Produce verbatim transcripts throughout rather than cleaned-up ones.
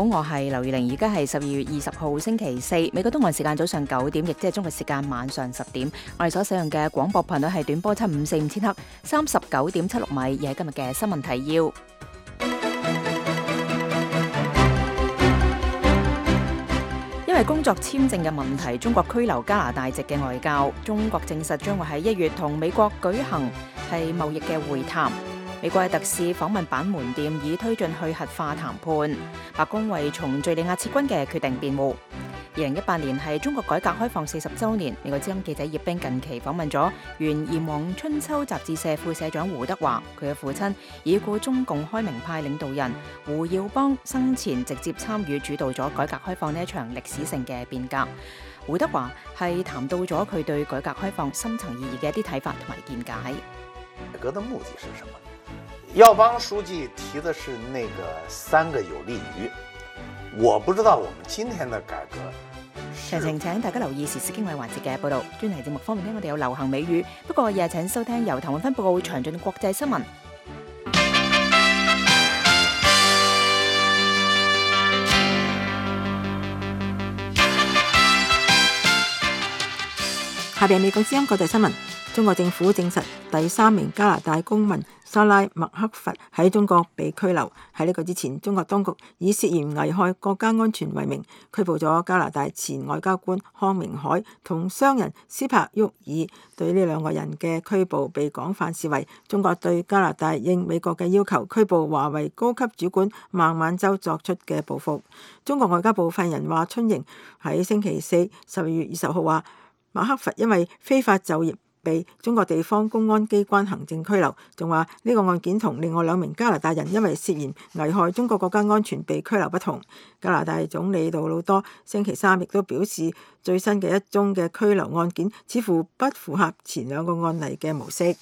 好，我係劉如玲，而家係十二月二十號星期四，美國東岸時間早上九點，亦即係中國時間晚上十點。我哋所使用嘅廣播頻率係短波七五四五千赫，三十九點七六米，而係今日嘅新聞提要。因為工作簽證嘅問題，中國拘留加拿大籍嘅外交。中國證實將會喺一月同美國舉行係貿易嘅會談。美國嘅特使訪問板門店，以推進去核化談判。白宮為從敘利亞撤軍嘅決定辯護。二零一八年係中國改革開放四十週年，美國之音記者葉冰近期訪問咗原《炎黃春秋》雜誌社副社長胡德華，佢嘅父親已故中共開明派領導人胡耀邦生前直接參與主導咗改革開放呢一場歷史性嘅變革。胡德華係談到咗佢對改革開放深層意義嘅一啲睇法同埋見解。改革的目的是什麼？耀邦書記提的是那個三個有利於，我不知道我們今天的改革。詳情請大家留意時事經緯環節嘅報道。專題節目方面呢，我哋有流行美語，不過日日請收聽由譚永芬報告詳盡國際新聞。下邊美國之音國際新聞。中國政府證實第三名加拿大公民沙拉麥克佛喺中國被拘留。喺呢個之前，中國當局以涉嫌危害國家安全為名拘捕咗加拿大前外交官康明凱同商人斯帕沃爾。對呢兩個人嘅拘捕被廣泛視為中國對加拿大應美國嘅要求拘捕華為高級主管孟晚舟作出嘅報復。中國外交部發言人華春瑩喺星期四十二月二十號話，麥克佛因為非法就業被中國地方公安機關行政拘留，仲話呢個案件同另外兩名加拿大人因為涉嫌危害中國國家安全被拘留不同。加拿大總理杜魯多星期三亦都表示，最新嘅一宗嘅拘留案件似乎不符合前兩個案例嘅模式。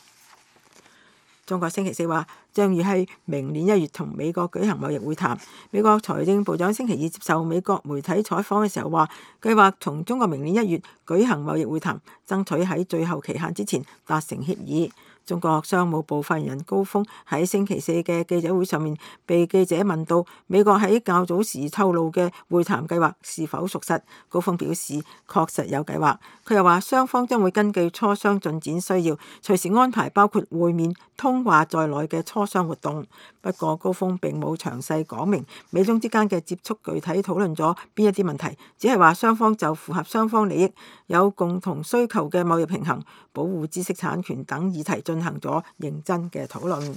中國星期四話將於喺明年一月同美國舉行貿易會談。美國財政部長星期二接受美國媒體採訪嘅時候話，計劃同中國明年一月舉行貿易會談，爭取喺最後期限之前達成協議。中國商務部發言人高峰喺星期四嘅記者會上面被記者問到美國喺較早時透露嘅會談計劃是否屬實，高峰表示確實有計劃。佢又話雙方將會根據磋商進展需要，隨時安排包括會面、通話在內嘅磋商活動。不過高峰並冇詳細講明美中之間嘅接觸具體討論咗邊一啲問題，只係話雙方就符合雙方利益、有共同需求嘅貿易平衡、保護知識產權等議題進行咗認真嘅討論。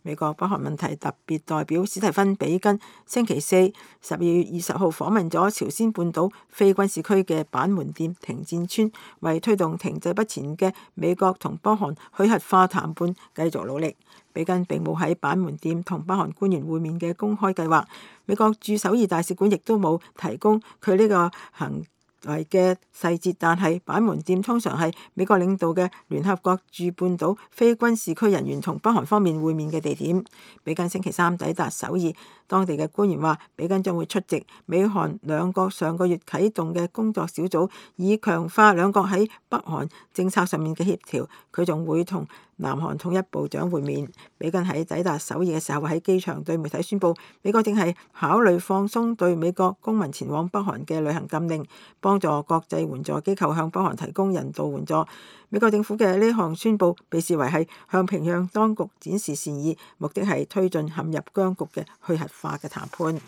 美國北韓問題特別代表史提芬比根星期四十二月二十號訪問咗朝鮮半島非軍事區嘅板門店停戰村，為推動停滯不前嘅美國同北韓去核化談判繼續努力。比根並冇喺板門店同北韓官員會面嘅公開計劃，美國駐首爾大使館亦都冇提供佢呢個行為嘅細節，但係板門店通常係美國領導嘅聯合國駐半島非軍事區人員同北韓方面會面嘅地點。比根星期三抵達首爾，當地嘅官員話，比根將會出席美韓兩國上個月啟動嘅工作小組，以強化兩國喺北韓政策上面嘅協調。佢仲會同南韓統一部長會面。比根喺抵達首爾嘅時候喺機場對媒體宣布，美國正係考慮放鬆對美國公民前往北韓嘅旅行禁令，幫助國際援助機構向北韓提供人道援助。美國政府嘅呢項宣布被視為係向平壤當局展示善意，目的係推進陷入僵局嘅去核化嘅談判。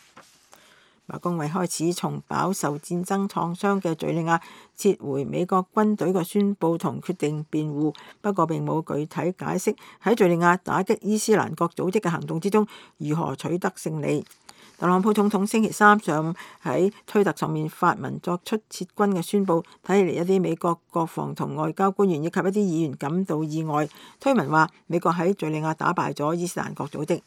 白宮為開始從飽受戰爭創傷嘅敘利亞撤回美國軍隊嘅宣佈同決定辯護，不過並冇具體解釋喺敘利亞打擊伊斯蘭國組織嘅行動之中如何取得勝利。特朗普總統星期三上午喺推特上面發文作出撤軍嘅宣佈，睇起嚟一啲美國國防同外交官員以及一啲議員感到意外。推文話美國喺敘利亞打敗咗伊斯蘭國組織。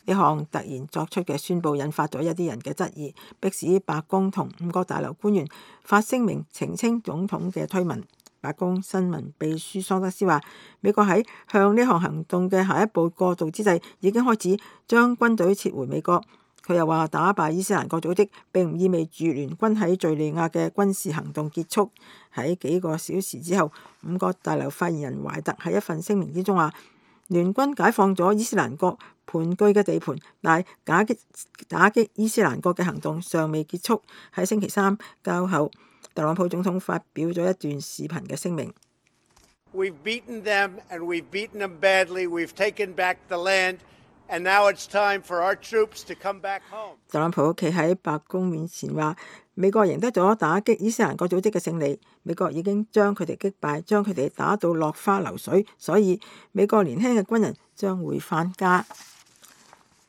呢項突然作出嘅宣佈引發咗一啲人嘅質疑，迫使白宮同五角大樓官員發聲明澄清總統嘅推文。白宮新聞秘書桑德斯話，美國喺向呢項行動嘅下一步過渡之際，已經開始將軍隊撤回美國。佢又話，打敗伊斯蘭國組織並唔意味住聯軍喺敘利亞嘅軍事行動結束。喺幾個小時之後，五角大樓發言人懷特喺一份聲明之中話，聯軍解放咗伊斯蘭國盤踞嘅地盤，但打擊打擊伊斯蘭國嘅行動尚未結束。喺星期三較後，特朗普總統發表咗一段視頻嘅聲明。We've beaten them and we've beaten them badly. We've taken back the land and now it's time for our troops to come back home. 特朗普企喺白宮面前話：美國贏得咗打擊伊斯蘭國組織嘅勝利，美國已經將佢哋擊敗，將佢哋打到落花流水，所以美國年輕嘅軍人將會返家。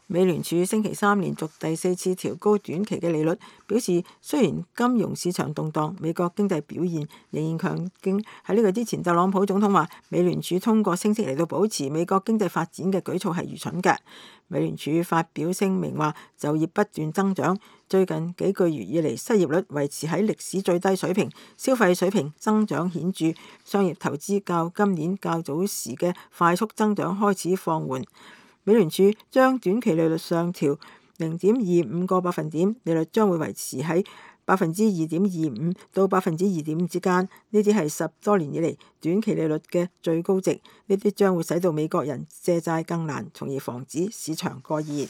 美聯儲星期三連續第四次調高短期嘅利率，表示雖然金融市場動盪，美國經濟表現仍然強勁。喺呢個之前，特朗普總統話美聯儲通過升息嚟到保持美國經濟發展嘅舉措係愚蠢嘅。美聯儲發表聲明話就業不斷增長，最近幾個月以嚟失業率維持喺歷史最低水平，消費水平增長顯著，商業投資較今年較早時嘅快速增長開始放緩。美聯儲將短期利率上調零點二五個百分點，利率將會維持喺百分之二點二五到百分之二點五之間。呢啲係十多年以嚟短期利率嘅最高值。呢啲將會使到美國人借債更難，從而防止市場過熱。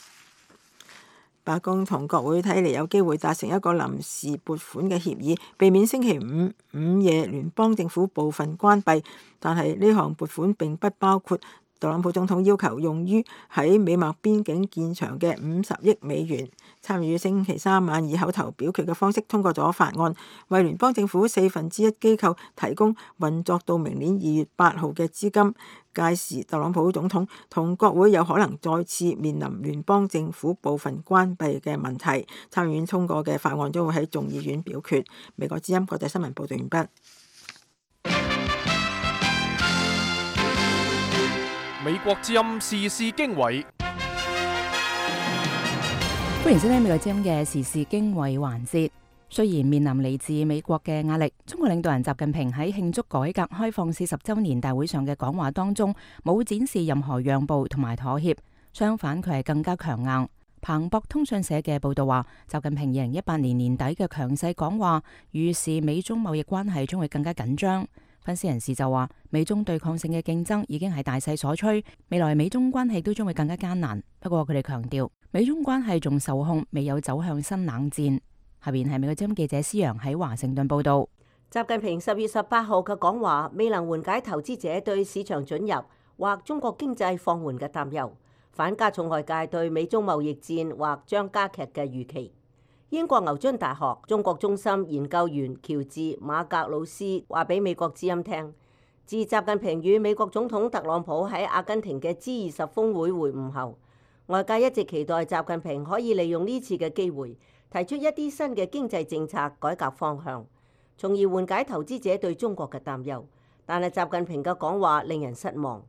白宮同國會睇嚟有機會達成一個臨時撥款嘅協議，避免星期五午夜聯邦政府部分關閉。但係呢項撥款並不包括特朗普總統要求用於喺美墨邊境建牆嘅五十億美元。參與星期三晚以口頭表決嘅方式通過咗法案，為聯邦政府四分之一機構提供運作到明年二月八號嘅資金。屆時特朗普總統同國會有可能再次面臨聯邦政府部分關閉嘅問題。參議院通過嘅法案將會喺眾議院表決。美國之音國際新聞報道完畢。美國之音時事經緯，歡迎收聽美國之音嘅時事經緯環節。雖然面臨嚟自美國嘅壓力，中國領導人習近平喺慶祝改革開放四十週年大會上嘅講話當中，冇展示任何讓步同埋妥協，相反佢係更加強硬。彭博通訊社嘅報道話，習近平二零一八年年底嘅強勢講話，預示美中貿易關係將會更加緊張。分析人士就話，美中對抗性嘅競爭已經係大勢所趨，未來美中關係都將會更加艱難。不過佢哋強調，美中關係仲受控，未有走向新冷戰。下邊係美國之音記者施洋喺華盛頓報道。習近平十月十八號嘅講話未能緩解投資者對市場准入或中國經濟放緩嘅擔憂，反加重外界對美中貿易戰或將加劇嘅預期。英國牛津大學中國中心研究員喬治馬格魯斯話俾美國之音聽，自習近平與美國總統特朗普喺阿根廷嘅 G 二十峰會會晤後，外界一直期待習近平可以利用呢次嘅機會提出一啲新嘅經濟政策改革方向，從而緩解投資者對中國嘅擔憂。但係習近平嘅講話令人失望。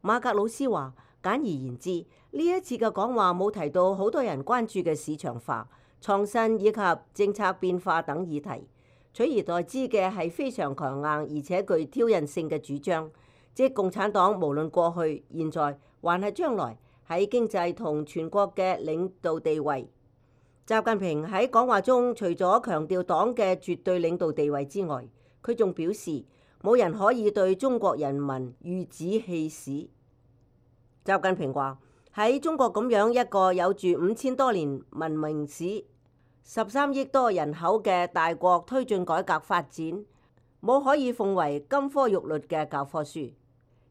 馬格魯斯話，簡而言之，呢一次嘅講話冇提到好多人關注嘅市場化、創新以及政策變化等議題，取而代之嘅係非常強硬而且具挑釁性嘅主張，即共產黨無論過去、現在還係將來喺經濟同全國嘅領導地位。習近平喺講話中除咗強調黨嘅絕對領導地位之外，佢仲表示冇人可以對中國人民馭指氣使。習近平話，喺中國咁樣一個有住五千多年文明史、十三億多人口嘅大國推進改革發展，冇可以奉為金科玉律嘅教科書，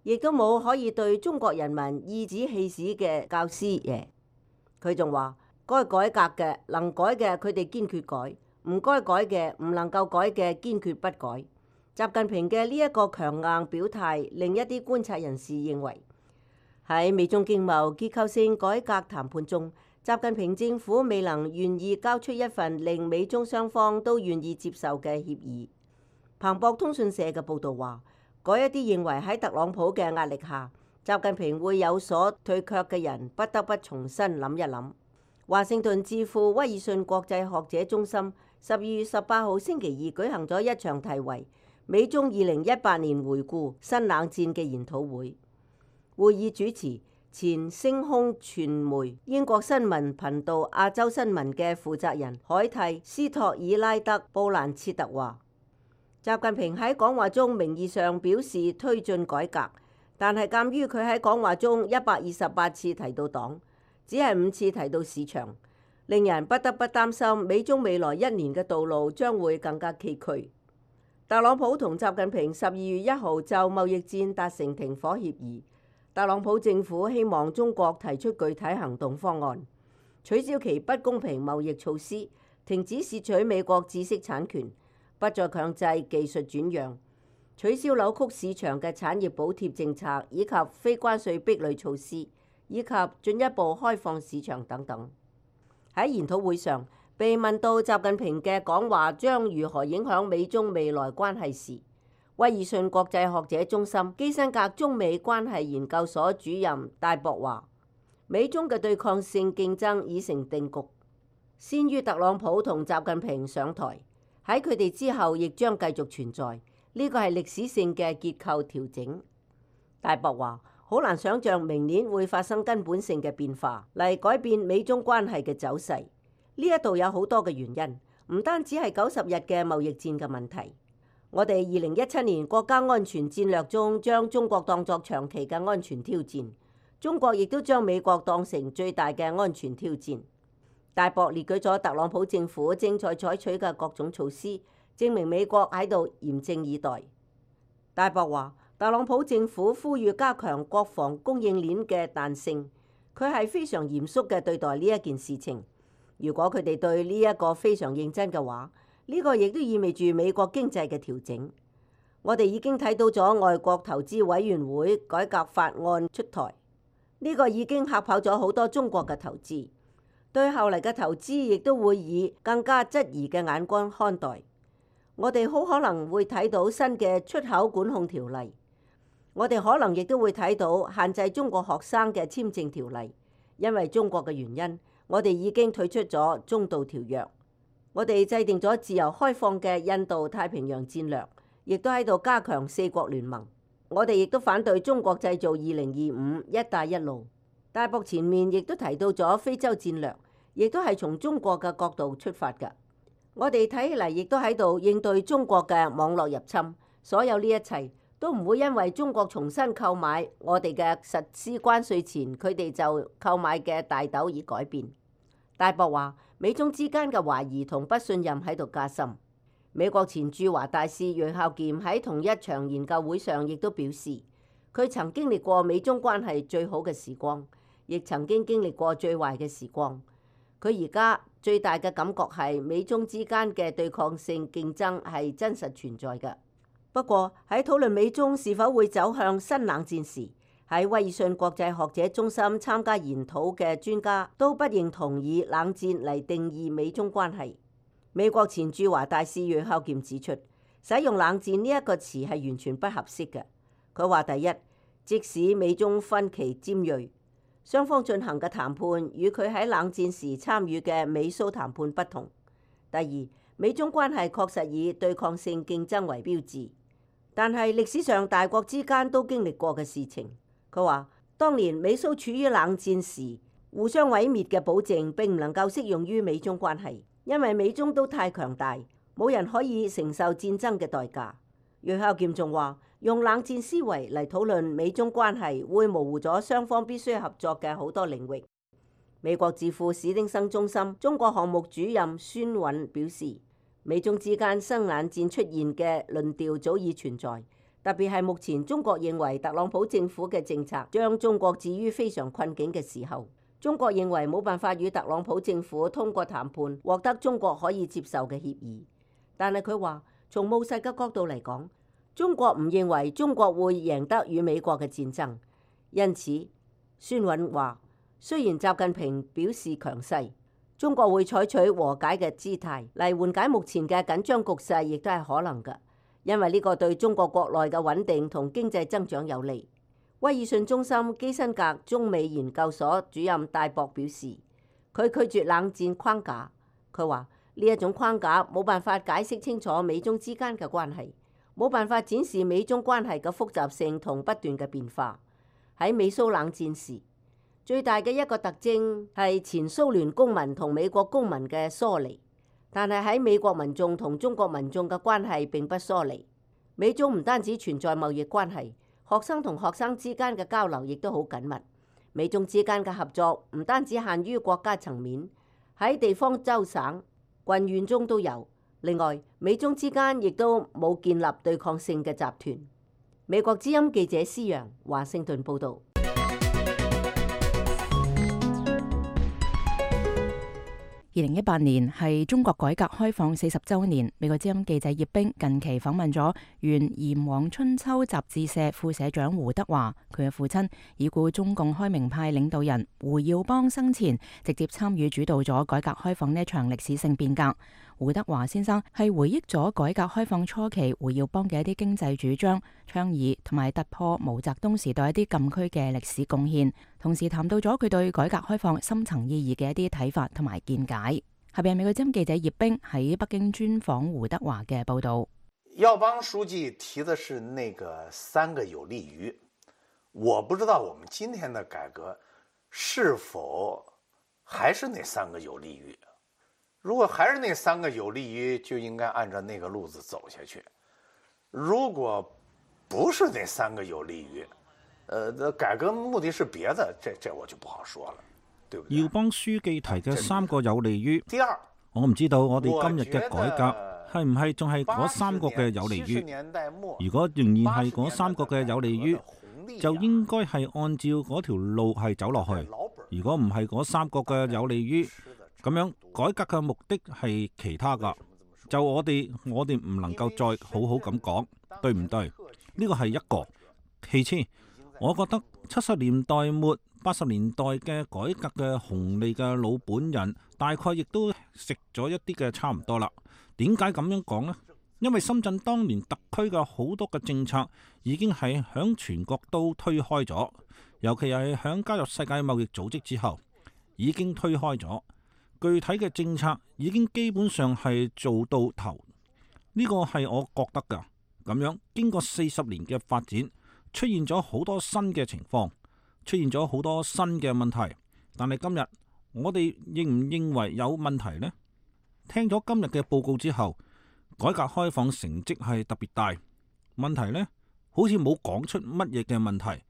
亦都冇可以對中國人民馭指氣使嘅教師爺。佢仲話，該改革嘅能改嘅佢哋堅決改，唔該改嘅唔能夠改嘅堅決不改。習近平嘅呢一個強硬表態，令一啲觀察人士認為，喺美中經貿結構性改革談判中，習近平政府未能願意交出一份令美中雙方都願意接受嘅協議。彭博通訊社嘅報導話，嗰一啲認為喺特朗普嘅壓力下，習近平會有所退卻嘅人，不得不重新諗一諗。華盛頓智庫威爾遜國際學者中心十二月十八號星期二舉行咗一場題為《美中二零一八年回顧新冷戰》嘅研討會。會議主持前星空傳媒英國新聞頻道亞洲新聞嘅負責人海蒂斯托爾拉德布蘭切特話，習近平喺講話中名義上表示推進改革，但係鑑於佢喺講話中一百二十八次提到黨，只係五次提到市場，令人不得不擔心美中未來一年嘅道路將會更加崎嶇。特朗普同習近平十二月一號就貿易戰達成停火協議。特朗普政府希望中國提出具體行動方案，取消其不公平貿易措施，停止竊取美國知識產權，不再強制技術轉讓，取消扭曲市場嘅產業補貼政策，以及非關稅壁壘措施，以及進一步開放市場等等。喺研討會上，被問到習近平嘅講話將如何影響美中未來關係時，威爾遜國際學者中心基辛格中美關係研究所主任戴博話：美中嘅對抗性競爭已成定局，先於特朗普同習近平上台，喺佢哋之後亦將繼續存在。呢個係歷史性嘅結構調整。戴博話：好難想像明年會發生根本性嘅變化嚟改變美中關係嘅走勢。呢一度有好多嘅原因，唔單止係九十日嘅貿易戰嘅問題。我哋二零一七年國家安全戰略中將中國當作長期嘅安全挑戰，中國亦都將美國當成最大嘅安全挑戰。戴博列舉咗特朗普政府正在採取嘅各種措施，證明美國喺度嚴陣以待。戴博話：特朗普政府呼籲加強國防供應鏈嘅彈性，佢係非常嚴肅嘅對待呢一件事情。如果佢哋對呢一個非常認真嘅話，呢個亦都意味住美國經濟嘅調整。我哋已經睇到咗外國投資委員會改革法案出台，呢個已經嚇跑咗好多中國嘅投資，對後嚟嘅投資亦都會以更加質疑嘅眼光看待。我哋好可能會睇到新嘅出口管控條例，我哋可能亦都會睇到限制中國學生嘅簽證條例。因為中國嘅原因，我哋已經退出咗中導條約。我哋制定咗自由開放嘅印度太平洋戰略，亦都喺度加強四國聯盟。我哋亦都反對中國製造二零二五一帶一路。戴博前面亦都提到咗非洲戰略，亦都係從中國嘅角度出發嘅。我哋睇起嚟亦都喺度應對中國嘅網絡入侵。所有呢一切都唔會因為中國重新購買我哋嘅實施關稅前佢哋就購買嘅大豆而改變。戴博話：美中之間嘅懷疑同不信任喺度加深。美國前駐華大使楊孝儉喺同一場研究會上亦都表示，佢曾經歷過美中關係最好嘅時光，亦曾經經歷過最壞嘅時光。佢而家最大嘅感覺係美中之間嘅對抗性競爭係真實存在嘅。不過喺討論美中是否會走向新冷戰時，喺威爾遜國際學者中心參加研討嘅專家都不認同以冷戰嚟定義美中關係。美國前駐華大使楊孝儉指出，使用冷戰呢一個詞係完全不合適嘅。佢話：第一，即使美中分歧尖銳，雙方進行嘅談判與佢喺冷戰時參與嘅美蘇談判不同；第二，美中關係確實以對抗性競爭為標誌，但係歷史上大國之間都經歷過嘅事情。佢話：當年美蘇處於冷戰時，互相毀滅嘅保證並唔能夠適用於美中關係，因為美中都太強大，冇人可以承受戰爭嘅代價。楊孝儉仲話：用冷戰思維嚟討論美中關係，會模糊咗雙方必須合作嘅好多領域。美國智庫史丁生中心中國項目主任孫韻表示：美中之間新冷戰出現嘅論調早已存在。特別係目前中國認為特朗普政府嘅政策將中國置於非常困境嘅時候，中國認為冇辦法與特朗普政府通過談判獲得中國可以接受嘅協議。但係佢話，從務實嘅角度嚟講，中國唔認為中國會贏得與美國嘅戰爭。因此，孫韻話，雖然習近平表示強勢，中國會採取和解嘅姿態嚟緩解目前嘅緊張局勢，亦都係可能嘅。因為呢個對中國國內嘅穩定同經濟增長有利。威爾遜中心基辛格中美研究所主任戴博表示，佢拒絕冷戰框架。佢話呢一種框架冇辦法解釋清楚美中之間嘅關係，冇辦法展示美中關係嘅複雜性同不斷嘅變化。喺美蘇冷戰時，最大嘅一個特徵係前蘇聯公民同美國公民嘅疏離。但係喺美國民眾同中國民眾嘅關係並不疏離。美中唔單止存在貿易關係，學生同學生之間嘅交流亦都好緊密。美中之間嘅合作唔單止限於國家層面，喺地方州省、郡縣中都有。另外，美中之間亦都冇建立對抗性嘅集團。美國之音記者施陽華盛頓報導。二零一八年係中國改革開放四十週年，美國之音記者葉冰近期訪問咗原《炎黃春秋》雜誌社副社長胡德華，佢嘅父親已故中共開明派領導人胡耀邦生前直接參與主導咗改革開放呢一場歷史性變革。胡德華先生係回憶咗改革開放初期胡耀邦嘅一啲經濟主張、倡議同埋突破毛澤東時代一啲禁區嘅歷史貢獻，同時談到咗佢對改革開放深層意義嘅一啲睇法同埋見解。下邊係美國之音記者葉冰喺北京專訪胡德華嘅報道。耀邦書記提的是那個三個有利於，我不知道我們今天的改革是否還是那三個有利於。如果還是那三個有利於，就應該按照那個路子走下去。如果不是那三個有利於，呃，改革目的是別的，這這我就不好說了，對不對？耀邦書記提嘅三個有利於，第二，我唔知道我哋今日嘅改革係唔係仲係嗰三個嘅有利於。如果仍然係嗰三個嘅有利於，就應該係按照嗰條路係走落去。如果唔係嗰三個嘅有利於，咁樣改革嘅目的係其他噶，就我哋我哋唔能夠再好好咁講，對唔對？呢個係一個。其次，我覺得七十年代末八十年代嘅改革嘅紅利嘅老本人，大概亦都食咗一啲嘅差唔多啦。點解咁樣講呢？因為深圳當年特區嘅好多嘅政策已經係響全國都推開咗，尤其係響加入世界貿易組織之後，已經推開咗。具體嘅政策已經基本上係做到頭，呢個係我覺得㗎。咁樣經過四十年嘅發展，出現咗好多新嘅情況，出現咗好多新嘅問題。但係今日我哋認唔認為有問題呢？聽咗今日嘅報告之後，改革開放成績係特別大，問題呢好似冇講出乜嘢嘅問題，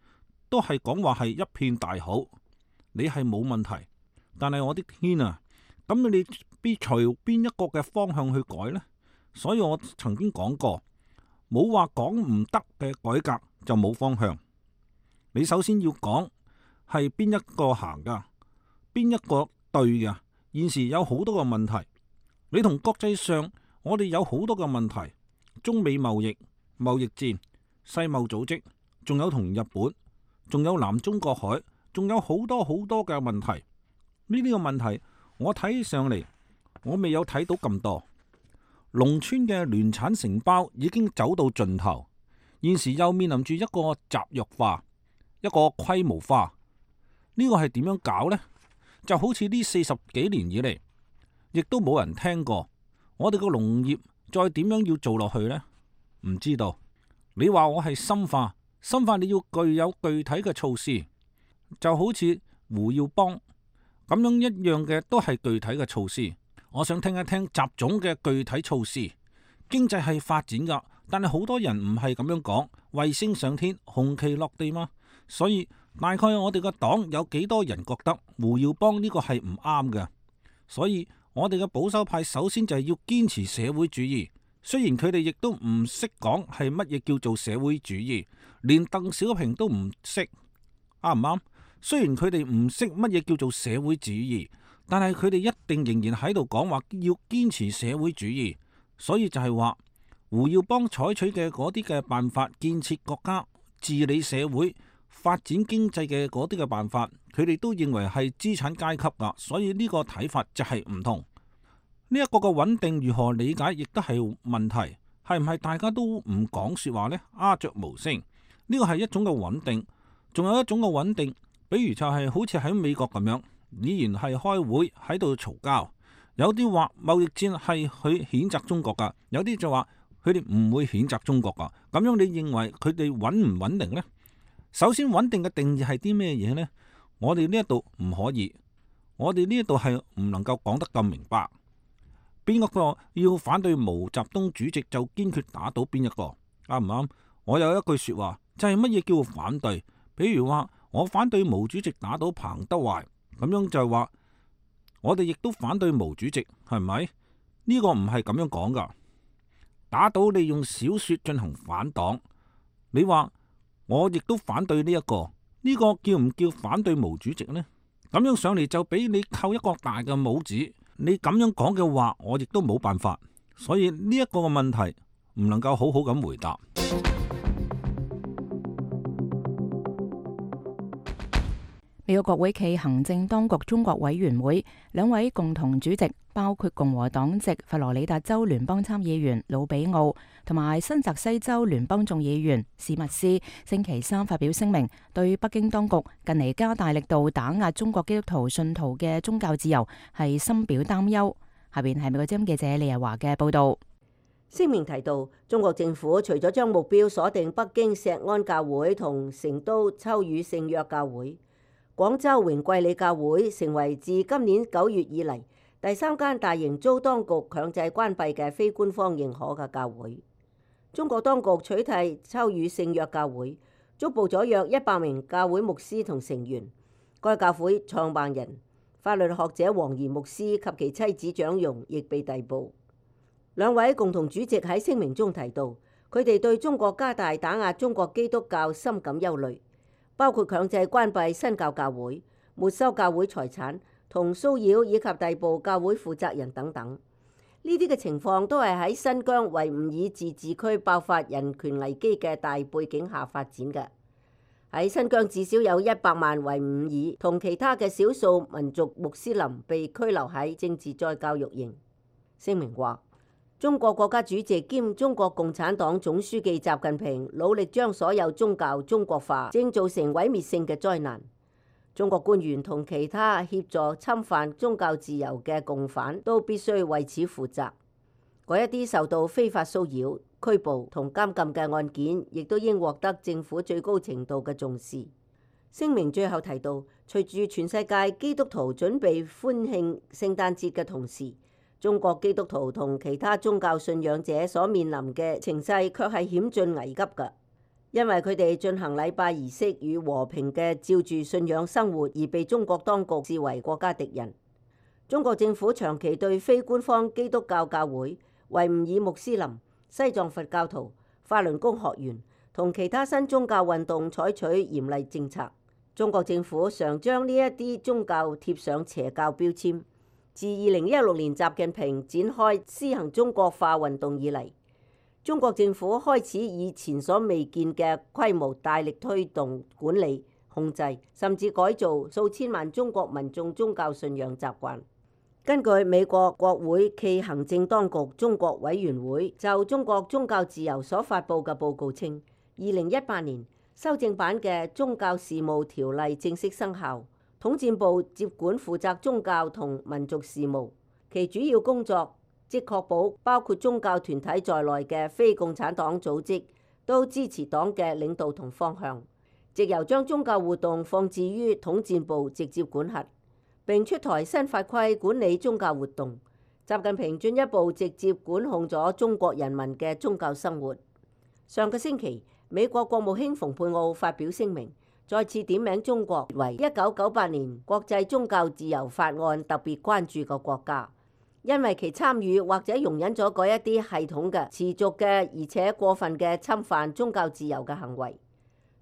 都係講話係一片大好。你係冇問題，但係我的天啊！咁你必隨邊一個嘅方向去改呢？所以我曾經講過，冇話講唔得嘅改革就冇方向。你首先要講係邊一個行噶，邊一個對嘅。現時有好多個問題，你同國際上我哋有好多個問題，中美貿易、貿易戰、世貿組織，仲有同日本，仲有南中國海，仲有好多好多嘅問題。呢啲個問題。我睇上嚟，我未有睇到咁多。農村嘅聯產承包已經走到盡頭，現時又面臨住一個集約化、一個規模化。呢個係點樣搞呢？就好似呢四十幾年以嚟，亦都冇人聽過。我哋個農業再點樣要做落去呢？唔知道。你話我係深化，深化你要具有具體嘅措施，就好似胡耀邦。咁樣一樣嘅都係具體嘅措施，我想聽一聽習總嘅具體措施。經濟係發展噶，但係好多人唔係咁樣講，衛星上天，紅旗落地嘛。所以大概我哋個黨有幾多人覺得胡耀邦呢個係唔啱嘅，所以我哋嘅保守派首先就係要堅持社會主義。雖然佢哋亦都唔識講係乜嘢叫做社會主義，連鄧小平都唔識，啱唔啱？雖然佢哋唔識乜嘢叫做社會主義，但係佢哋一定仍然喺度講話要堅持社會主義。所以就係話胡耀邦採取嘅嗰啲嘅辦法，建設國家、治理社會、發展經濟嘅嗰啲嘅辦法，佢哋都認為係資產階級噶。所以呢個睇法就係唔同。呢一個嘅穩定如何理解，亦都係問題。係唔係大家都唔講說話呢？鴉雀無聲，呢個係一種嘅穩定。仲有一種嘅穩定。比如就係好似喺美國咁樣，依然係開會喺度嘈交，有啲話貿易戰係去譴責中國噶，有啲就話佢哋唔會譴責中國噶。咁樣你認為佢哋穩唔穩定呢？首先穩定嘅定義係啲咩嘢呢？我哋呢一度唔可以，我哋呢一度係唔能夠講得咁明白。邊一個要反對毛澤東主席就堅決打倒邊一個，啱唔啱？我有一句說話，就係乜嘢叫反對？比如話我反對毛主席打倒彭德懷，咁樣就係話我哋亦都反對毛主席，係咪？呢個唔係咁樣講噶。打倒利用小說進行反黨，你話我亦都反對呢一個，呢個叫唔叫反對毛主席呢？咁樣上嚟就俾你扣一個大嘅帽子，你咁樣講嘅話，我亦都冇辦法。所以呢一個嘅問題唔能夠好好咁回答。美國國會暨行政當局中國委員會兩位共同主席，包括共和黨籍佛羅里達州聯邦參議員魯比奧同埋新澤西州聯邦眾議員史密斯，星期三發表聲明，對北京當局近嚟加大力度打壓中國基督徒信徒嘅宗教自由係深表擔憂。下邊係美國之音記者李日華嘅報道。聲明提到，中國政府除咗將目標鎖定北京錫安教會同成都秋雨聖約教會，廣州榮貴里教會成為自今年九月以嚟第三間大型遭當局強制關閉嘅非官方認可嘅教會。中國當局取締秋雨聖約教會，捉捕咗約一百名教會牧師同成員。該教會創辦人、法律學者黃賢牧師及其妻子蔣容亦被逮捕。兩位共同主席喺聲明中提到，佢哋對中國加大打壓中國基督教深感憂慮，包括強制關閉新教教會、沒收教會財產同騷擾以及逮捕教會負責人等等。呢啲嘅情況都係喺新疆維吾爾自治區爆發人權危機嘅大背景下發展嘅。喺新疆至少有一百萬維吾爾同其他嘅少數民族穆斯林被拘留喺政治再教育營。聲明話，中國國家主席兼中國共產黨總書記習近平努力將所有宗教中國化，正造成毀滅性嘅災難。中國官員同其他協助侵犯宗教自由嘅共犯都必須為此負責。嗰一啲受到非法騷擾、拘捕同監禁嘅案件，亦都應獲得政府最高程度嘅重視。聲明最後提到，隨住全世界基督徒準備歡慶聖誕節嘅同時，中國基督徒同其他宗教信仰者所面臨嘅情勢卻係險峻危急㗎，因為佢哋進行禮拜儀式與和平嘅照住信仰生活，而被中國當局視為國家敵人。中國政府長期對非官方基督教教會、維吾爾穆斯林、西藏佛教徒、法輪功學員同其他新宗教運動採取嚴厲政策。中國政府常將呢一啲宗教貼上邪教標籤。自二零一六年習近平展開施行中國化運動以嚟，中國政府開始以前所未見嘅規模大力推動管理、控制，甚至改造數千萬中國民眾宗教信仰習慣。根據美國國會暨行政當局中國委員會就中國宗教自由所發布嘅報告稱，二零一八年修正版嘅宗教事務條例正式生效。統戰部接管負責宗教同民族事務，其主要工作即確保包括宗教團體在內嘅非共產黨組織都支持黨嘅領導同方向，藉由將宗教活動放置於統戰部直接管轄，並出台新法規管理宗教活動。習近平進一步直接管控咗中國人民嘅宗教生活。上個星期，美國國務卿蓬佩奧發表聲明，再次點名中國為一九九八年國際宗教自由法案特別關注嘅國家，因為其參與或者容忍咗嗰一啲系統嘅、持續嘅而且過分嘅侵犯宗教自由嘅行為。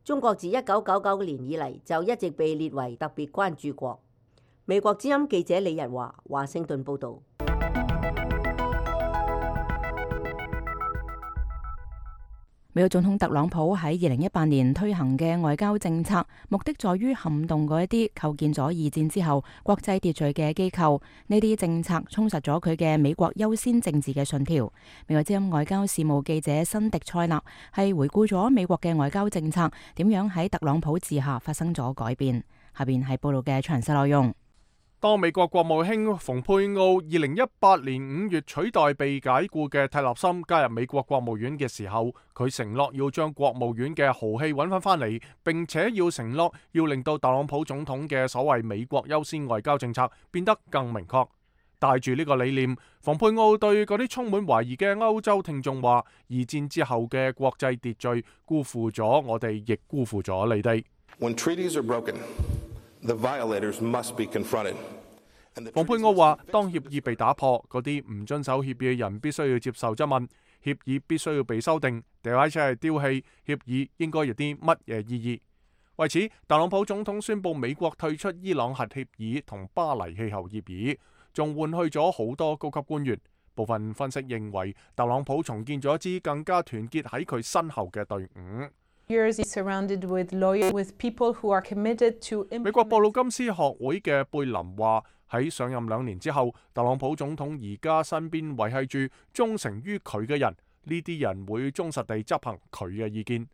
中國自一九九九年以嚟就一直被列為特別關注國。美國之音記者李日華華盛頓報導。美國總統特朗普喺二零一八年推行嘅外交政策，目的在於撼動嗰一啲構建咗二戰之後國際秩序嘅機構。呢啲政策充實咗佢嘅美國優先政治嘅信條。美國之音外交事務記者辛迪塞納係回顧咗美國嘅外交政策點樣喺特朗普治下發生咗改變。下邊係報道嘅詳細內容。當美國國務卿蓬佩奧二零一八年五月取代被解雇嘅蒂勒森加入美國國務院嘅時候，佢承諾要將國務院嘅豪氣揾翻翻嚟，並且要承諾要令到特朗普總統嘅所謂美國優先外交政策變得更明確。帶住呢個理念，蓬佩奧對嗰啲充滿懷疑嘅歐洲聽眾話：二戰之後嘅國際秩序辜負咗我哋，亦辜負咗你哋。When treaties are broken, the violators must be confronted. 蓬佩奧話：當協議被打破，嗰啲唔遵守協議嘅人必須要接受質問，協議必須要被修訂，掉喺車係丟棄，協議應該有啲乜嘢意義？為此，特朗普總統宣布美國退出伊朗核協議同巴黎氣候協議，仲換去咗好多高級官員。部分分析認為，特朗普重建咗一支更加團結喺佢身後嘅隊伍。美國布魯金斯學會嘅貝林話：喺上任兩年之後，特朗普總統而家身邊維繫住忠誠於佢嘅人，呢啲人會忠實地執行佢嘅意見。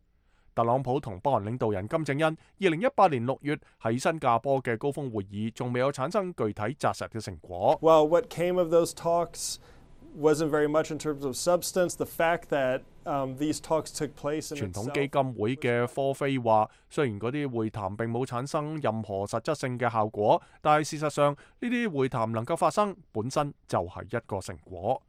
特朗普同北韓領導人金正恩二零一八年六月喺新加坡嘅高峰會議，仲未有產生具體紮實嘅成果。Well, what came of those talks wasn't very much in terms of substance. The fact that um, these talks took place in itself. 傳統基金會嘅科菲話，雖然嗰啲會談並冇產生任何實質性嘅效果，但係事實上呢啲會談能夠發生，本身就係一個成果。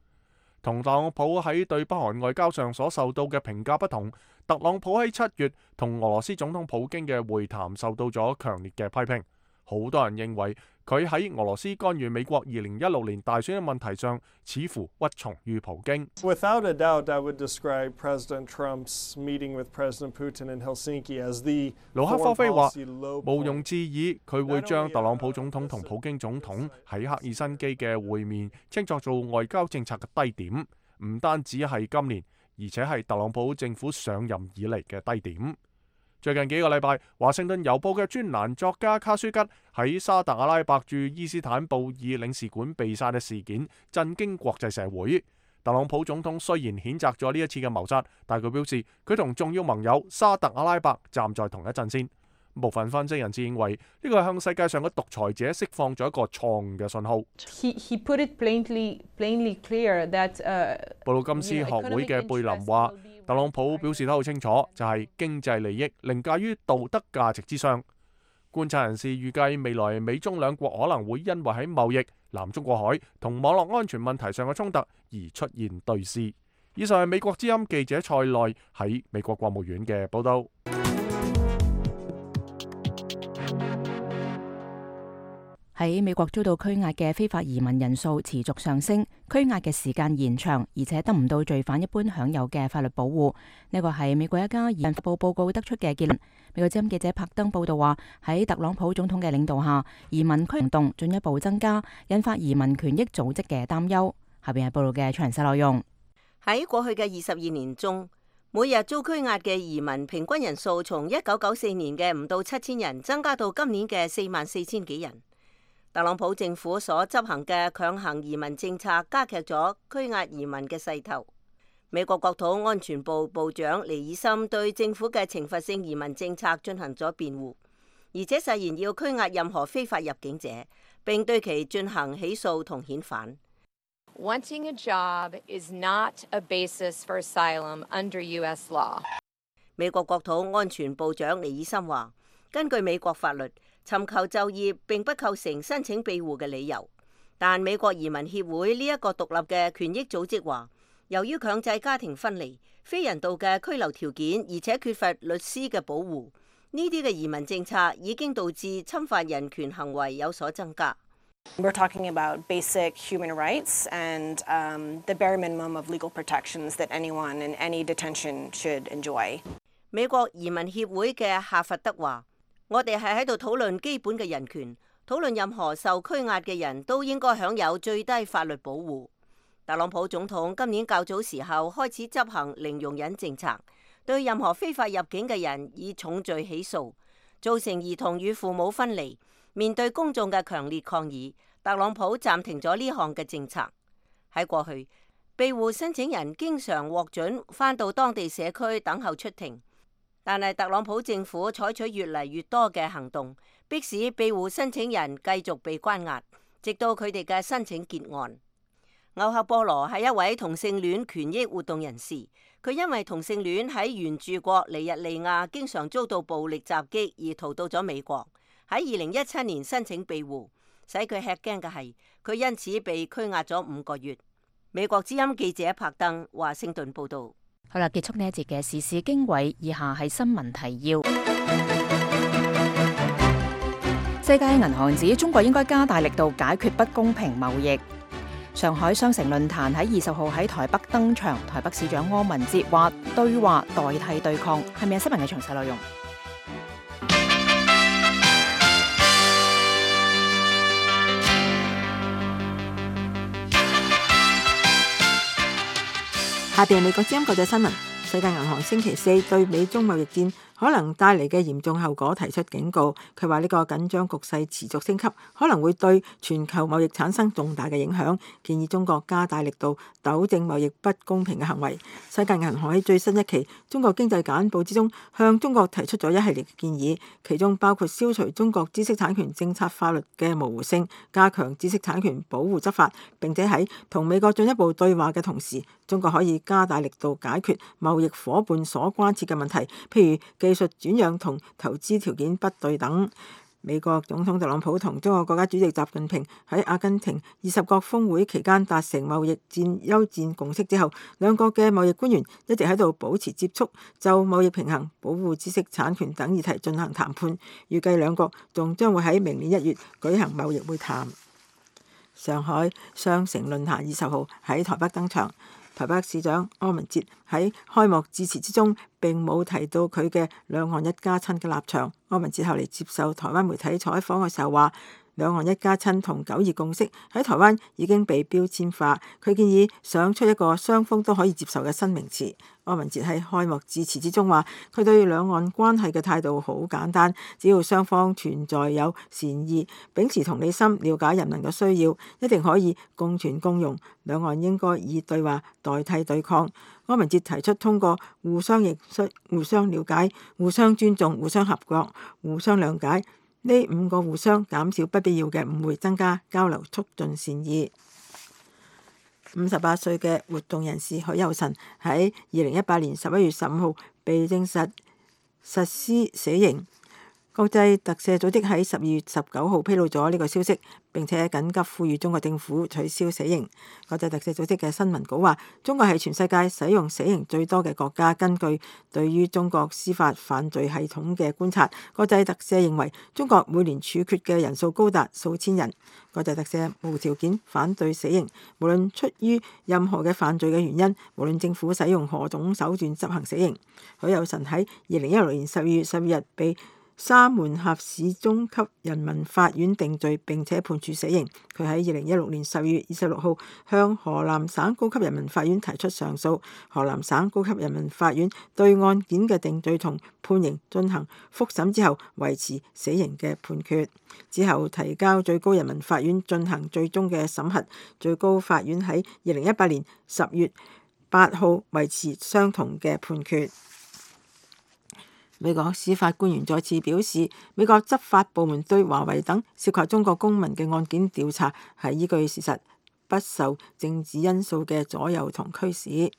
同特朗普喺對北韓外交上所受到嘅評價不同，特朗普喺七月同俄羅斯總統普京嘅會談受到咗強烈嘅批評。好多人認為佢喺俄羅斯干預美國二零一六年大選嘅問題上，似乎屈從於普京。Without a doubt, I would describe President Trump's meeting with President Putin in Helsinki as the 盧克科菲話： low 毋庸置疑，佢會將特朗普總統同普京總統喺赫爾辛基嘅會面稱作做外交政策嘅低點，唔單止係今年，而且係特朗普政府上任以嚟嘅低點。最近幾個禮拜，華盛頓郵報嘅專欄作家卡舒吉喺沙特阿拉伯駐伊斯坦布爾領事館被殺嘅事件震驚國際社會。特朗普總統雖然譴責咗呢一次嘅謀殺，但佢表示佢同重要盟友沙特阿拉伯站在同一陣線。部分分析人士認為呢個係向世界上嘅獨裁者釋放咗一個錯誤嘅信號。He, he put it plainly, plainly clear that, uh, 布魯金斯學會嘅貝林話：特朗普表示得好清楚，就係經濟利益凌駕於道德價值之上。觀察人士預計未來美中兩國可能會因為喺貿易、南中國海同網絡安全問題上嘅衝突而出現對峙。以上係美國之音記者蔡內喺美國國務院嘅報導。喺美國遭到拘押嘅非法移民人數持續上升，拘押嘅時間延長，而且得唔到罪犯一般享有嘅法律保護。呢個係美國一家移民發布報告得出嘅結論。美國之音記者柏登報道話，喺特朗普總統嘅領導下，移民拘行動進一步增加，引發移民權益組織嘅擔憂。下邊係報道嘅詳細內容。喺過去嘅二十二年中，每日遭拘押嘅移民平均人數從一九九四年嘅唔到七千人，增加到今年嘅四萬四千幾人。特朗普政府所執行嘅強行移民政策加劇咗拘押移民嘅勢頭。美國國土安全部部長尼爾森對政府嘅懲罰性移民政策進行咗辯護，而且誓言要拘押任何非法入境者，並對其進行起訴同遣返。Wanting a job is not a basis for asylum under U S law. 美國國土安全部長尼爾森話，根據美國法律，尋求就業並不構成申請庇護嘅理由，但美國移民協會呢一個獨立嘅權益組織話，由於強制家庭分離、非人道嘅居留條件，而且缺乏律師嘅保護，呢啲嘅移民政策已經導致侵犯人權行為有所增加。We're talking about basic human rights and um, the bare minimum of legal protections that anyone in any detention should enjoy. 美國移民協會嘅夏佛德話，我哋係喺度討論基本嘅人權，討論任何受拘押嘅人都應該享有最低法律保護。特朗普總統今年較早時候開始執行零容忍政策，對任何非法入境嘅人以重罪起訴，造成兒童與父母分離。面對公眾嘅強烈抗議，特朗普暫停咗呢項嘅政策。喺過去，庇護申請人經常獲准返到當地社區等候出庭。但係特朗普政府採取越嚟越多嘅行動，迫使庇護申請人繼續被關押，直到佢哋嘅申請結案。歐克波羅係一位同性戀權益活動人士，佢因為同性戀喺原住國尼日利亞經常遭到暴力襲擊而逃到咗美國，喺二零一七年申請庇護，使佢吃驚嘅係，佢因此被拘押咗五個月。美國之音記者柏登華盛頓報道。好啦，結束呢一節嘅時事經緯，以下係新聞提要。世界銀行指中國應該加大力度解決不公平貿易。上海雙城論壇喺二十號喺台北登場，台北市長柯文哲話對話代替對抗，係咪有新聞嘅詳細內容？下邊美國之音國際新聞，世界銀行星期四對美中貿易戰可能帶嚟嘅嚴重後果提出警告。佢話呢個緊張局勢持續升級，可能會對全球貿易產生重大嘅影響，建議中國加大力度糾正貿易不公平嘅行為。世界銀行喺最新一期中國經濟簡報之中，向中國提出咗一系列嘅建議，其中包括消除中國知識產權政策法律嘅模糊性，加強知識產權保護執法，並且喺同美國進一步對話嘅同時，中國可以加大力度解決貿易夥伴所關切嘅問題，譬如技術轉讓同投資條件不對等。美國總統特朗普同中國國家主席習近平喺阿根廷二十國峰會期間達成貿易戰休戰共識之後，兩國嘅貿易官員一直喺度保持接觸，就貿易平衡、保護知識產權等議題進行談判。預計兩國仲將會喺明年一月舉行貿易會談。上海雙城論壇二十號喺台北登場。台北市長柯文哲喺開幕致辭之中並冇提到佢嘅兩岸一家親嘅立場。柯文哲後嚟接受台灣媒體採訪嘅時候話，兩岸一家親同九二共識喺台灣已經被標籤化。佢建議想出一個雙方都可以接受嘅新名詞。柯文哲喺開幕致辭之中話，佢對兩岸關係嘅態度好簡單，只要雙方存在有善意，秉持同理心，了解人民嘅需要，一定可以共存共榮。兩岸應該以對話代替對抗。柯文哲提出通過互相認識、互相了解、互相尊重、互相合作、互相諒解呢五個互相，減少不必要嘅誤會，增加交流，促進善意。五十八歲嘅活動人士許佑臣喺二零一八年十一月十五號被證實實施死刑。國際特赦組織喺十二月十九號披露咗呢個消息，並且緊急呼籲中國政府取消死刑。國際特赦組織嘅新聞稿話，中國係全世界使用死刑最多嘅國家。根據對於中國司法犯罪系統嘅觀察，國際特赦認為中國每年處決嘅人數高達數千人。國際特赦無條件反對死刑，無論出於任何嘅犯罪嘅原因，無論政府使用何種手段執行死刑。許佑臣喺二零一六年十二月十二日被沙門峽市中級人民法院定罪並且判處死刑。佢喺二零一六年十二月二十六號向河南省高級人民法院提出上訴，河南省高級人民法院對案件嘅定罪同判刑進行復審之後，維持死刑嘅判決，之後提交最高人民法院進行最終嘅審核。最高法院喺二零一八年十月八號維持相同嘅判決。美國司法官員再次表示，美國執法部門對華為等涉及中國公民嘅案件調查係依據事實，不受政治因素嘅左右同驅使。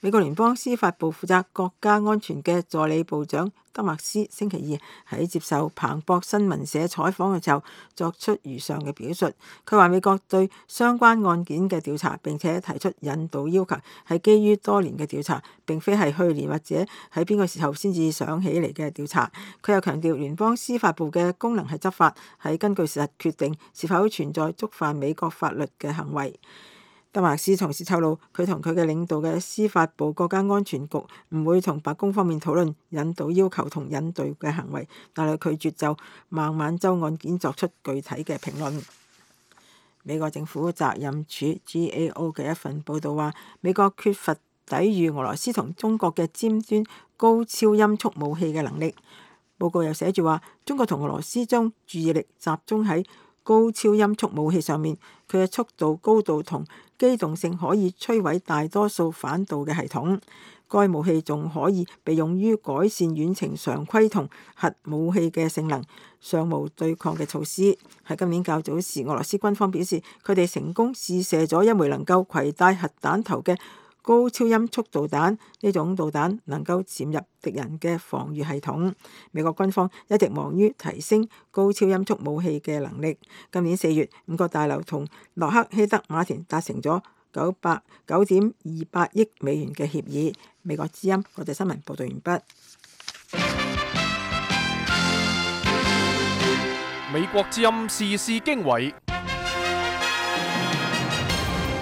美國聯邦司法部負責國家安全嘅助理部長德麥斯星期二喺接受彭博新聞社採訪嘅時候作出如上嘅表述。佢話美國對相關案件嘅調查並且提出引渡要求係基於多年嘅調查，並非係去年或者喺邊個時候先至想起嚟嘅調查。佢又強調聯邦司法部嘅功能係執法，係根據事實決定是否存在觸犯美國法律嘅行為。德麥斯同時透露，佢同佢嘅領導嘅司法部國家安全局唔會同白宮方面討論引渡要求同引渡嘅行為，但係拒絕就孟晚舟案件作出具體嘅評論。美國政府責任處 G A O 嘅一份報導話，美國缺乏抵禦俄羅斯同中國嘅尖端高超音速武器嘅能力。報告又寫住話，中國同俄羅斯將注意力集中喺高超音速武器上面，佢嘅速度、高度同機動性可以摧毀大多數反導嘅系統。該武器仲可以被用於改善遠程常規同核武器嘅性能，尚無對抗嘅措施。喺今年較早時，俄羅斯軍方表示，佢哋成功試射咗一枚能夠攜帶核彈頭嘅高超音速導彈，呢種導彈能夠潛入敵人嘅防禦系統。美國軍方一直忙於提升高超音速武器嘅能力。今年四月，五角大樓同洛克希德馬田達成咗九百九點二八億美元嘅協議。美國之音國際新聞報道完畢。美國之音時事經緯，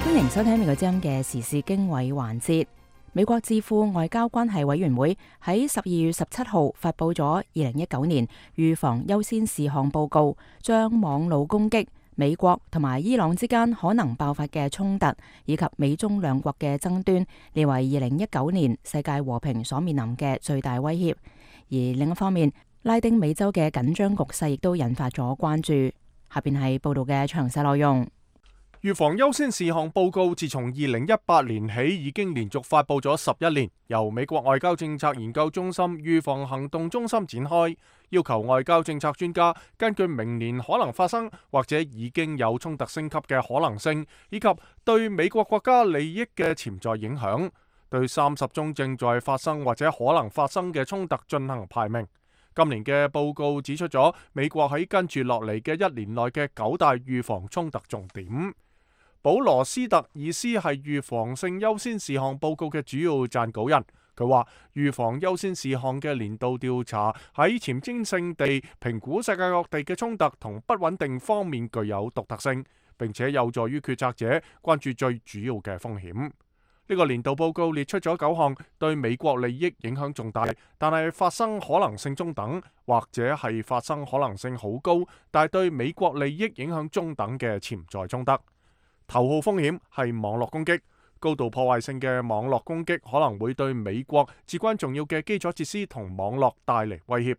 歡迎收聽美國之音嘅時事經緯環節。美國智庫外交關係委員會喺十二月十七號發布咗二零一九年預防優先事項報告，將網路攻擊、美國同埋伊朗之間可能爆發嘅衝突，以及美中兩國嘅爭端，列為二零一九年世界和平所面臨嘅最大威脅。而另一方面，拉丁美洲嘅緊張局勢亦都引發咗關注。下邊係報道嘅詳細內容。預防優先事項報告自從二零一八年起已經連續發布咗十一年，由美國外交政策研究中心預防行動中心展開，要求外交政策專家根據明年可能發生或者已經有衝突升級嘅可能性，以及對美國國家利益嘅潛在影響，對三十宗正在發生或者可能發生嘅衝突進行排名。今年嘅報告指出咗美國喺跟住落嚟嘅一年內嘅九大預防衝突重點。保羅斯特爾斯係預防性優先事項報告嘅主要撰稿人，佢話預防優先事項嘅年度調查喺前瞻性地評估世界各地嘅衝突同不穩定方面具有獨特性，並且有助於決策者關注最主要嘅風險。呢個年度報告列出咗九項對美國利益影響重大，但係發生可能性中等，或者係發生可能性好高，但係對美國利益影響中等嘅潛在衝突。頭號風險係網絡攻擊，高度破壞性嘅網絡攻擊可能會對美國至關重要嘅基礎設施同網絡帶嚟威脅。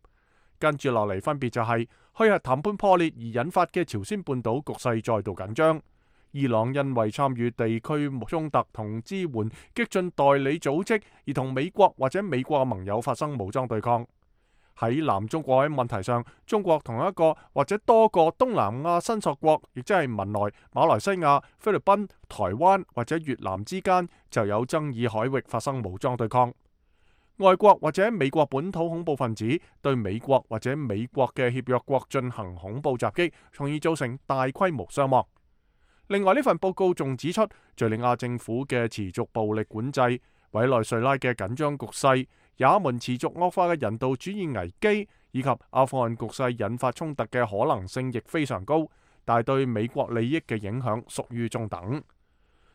跟住落嚟分別就係虛核談判破裂而引發嘅朝鮮半島局勢再度緊張。伊朗因為參與地區衝突同支援激進代理組織而同美國或者美國嘅盟友發生武裝對抗。喺南中國海問題上，中國同一個或者多個東南亞申索國，亦即係文萊、馬來西亞、菲律賓、台灣或者越南之間就有爭議海域發生武裝對抗。外國或者美國本土恐怖分子對美國或者美國嘅協約國進行恐怖襲擊，從而造成大規模傷亡。另外，呢份報告仲指出，敘利亞政府嘅持續暴力管制、委內瑞拉嘅緊張局勢、也門持續惡化嘅人道主義危機，以及阿富汗局勢引發衝突嘅可能性亦非常高，但係對美國利益嘅影響屬於中等。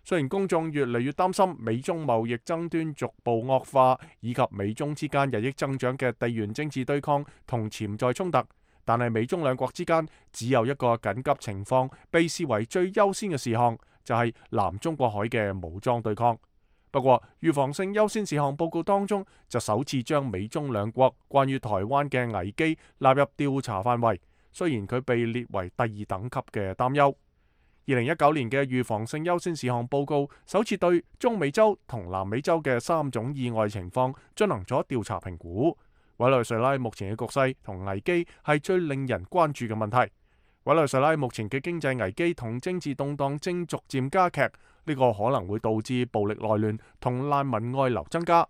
雖然公眾越嚟越擔心美中貿易爭端逐步惡化，以及美中之間日益增長嘅地緣政治對抗同潛在衝突，但係美中兩國之間只有一個緊急情況被視為最優先嘅事項，就係南中國海嘅武裝對抗。不過，預防性優先事項報告當中就首次將美中兩國關於台灣嘅危機納入調查範圍，雖然佢被列為第二等級嘅擔憂。二零一九年嘅預防性優先事項報告首次對中美洲同南美洲嘅三種意外情況進行咗調查評估。委內瑞拉目前嘅局勢同危機係最令人關注嘅問題。委內瑞拉目前嘅經濟危機同政治動盪正逐漸加劇，呢個可能會導致暴力內亂同難民外流增加。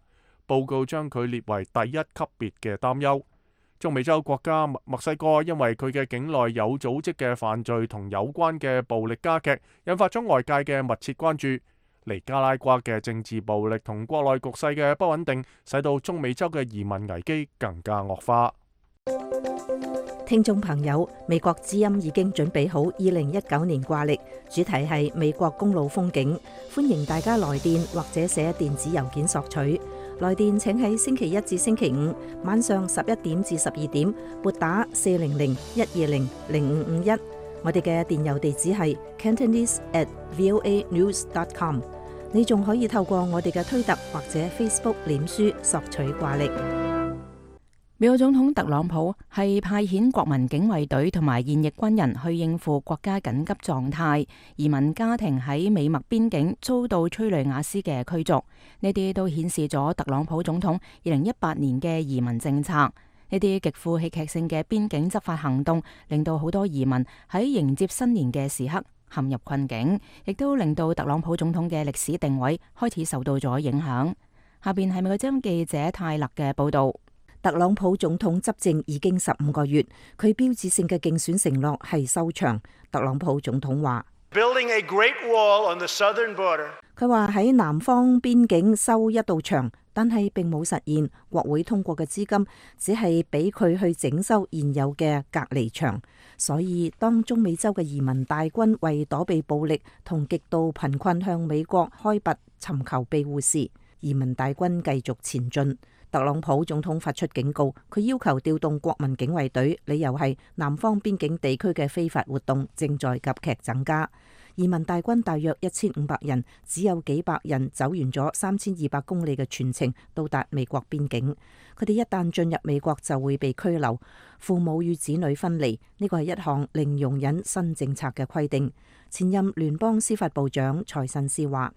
報告將佢列為第一級別嘅擔憂。中美洲國家墨西哥因為佢嘅境內有組織嘅犯罪同有關嘅暴力加劇，引發咗外界嘅密切關注。尼加拉瓜嘅政治暴力同國內局勢嘅不穩定，使到中美洲嘅移民危機更加惡化。聽眾朋友，美國之音已經準備好二零一九年掛曆，主題係美國公路風景，歡迎大家來電或者寫電子郵件索取。來電請喺星期一至星期五晚上十一點至十二點撥打四零零一二零零五五一。我哋嘅電郵地址係 cantonese at voa news dot com。你仲可以透過我哋嘅推特或者 Facebook 臉書索取掛曆。美國總統特朗普係派遣國民警衛隊同埋現役軍人去應付國家緊急狀態，移民家庭喺美墨邊境遭到催淚瓦斯嘅驅逐，呢啲都顯示咗特朗普總統二零一八年嘅移民政策。呢啲極富戲劇性嘅邊境執法行動，令到好多移民喺迎接新年嘅時刻陷入困境，亦都令到特朗普總統嘅歷史定位開始受到咗影響。下邊係美國之音記者泰勒嘅報道。特朗普總統執政已經十五個月，佢標誌性嘅競選承諾係收牆。特朗普總統話：佢話喺南方邊境修一道牆，但係並冇實現。國會通過嘅資金只係俾佢去整修現有嘅隔離牆。所以當中美洲嘅移民大軍為躲避暴力同極度貧困向美國開拔尋求庇護時，移民大軍繼續前進。特朗普總統發出警告，佢要求調動國民警衛隊，理由係南方邊境地區嘅非法活動正在急劇增加。移民大軍大約一千五百人，只有幾百人走完咗三千二百公里嘅全程到達美國邊境。佢哋一旦進入美國就會被拘留，父母與子女分離。呢個係一項零容忍新政策嘅規定。前任聯邦司法部長財慎斯話：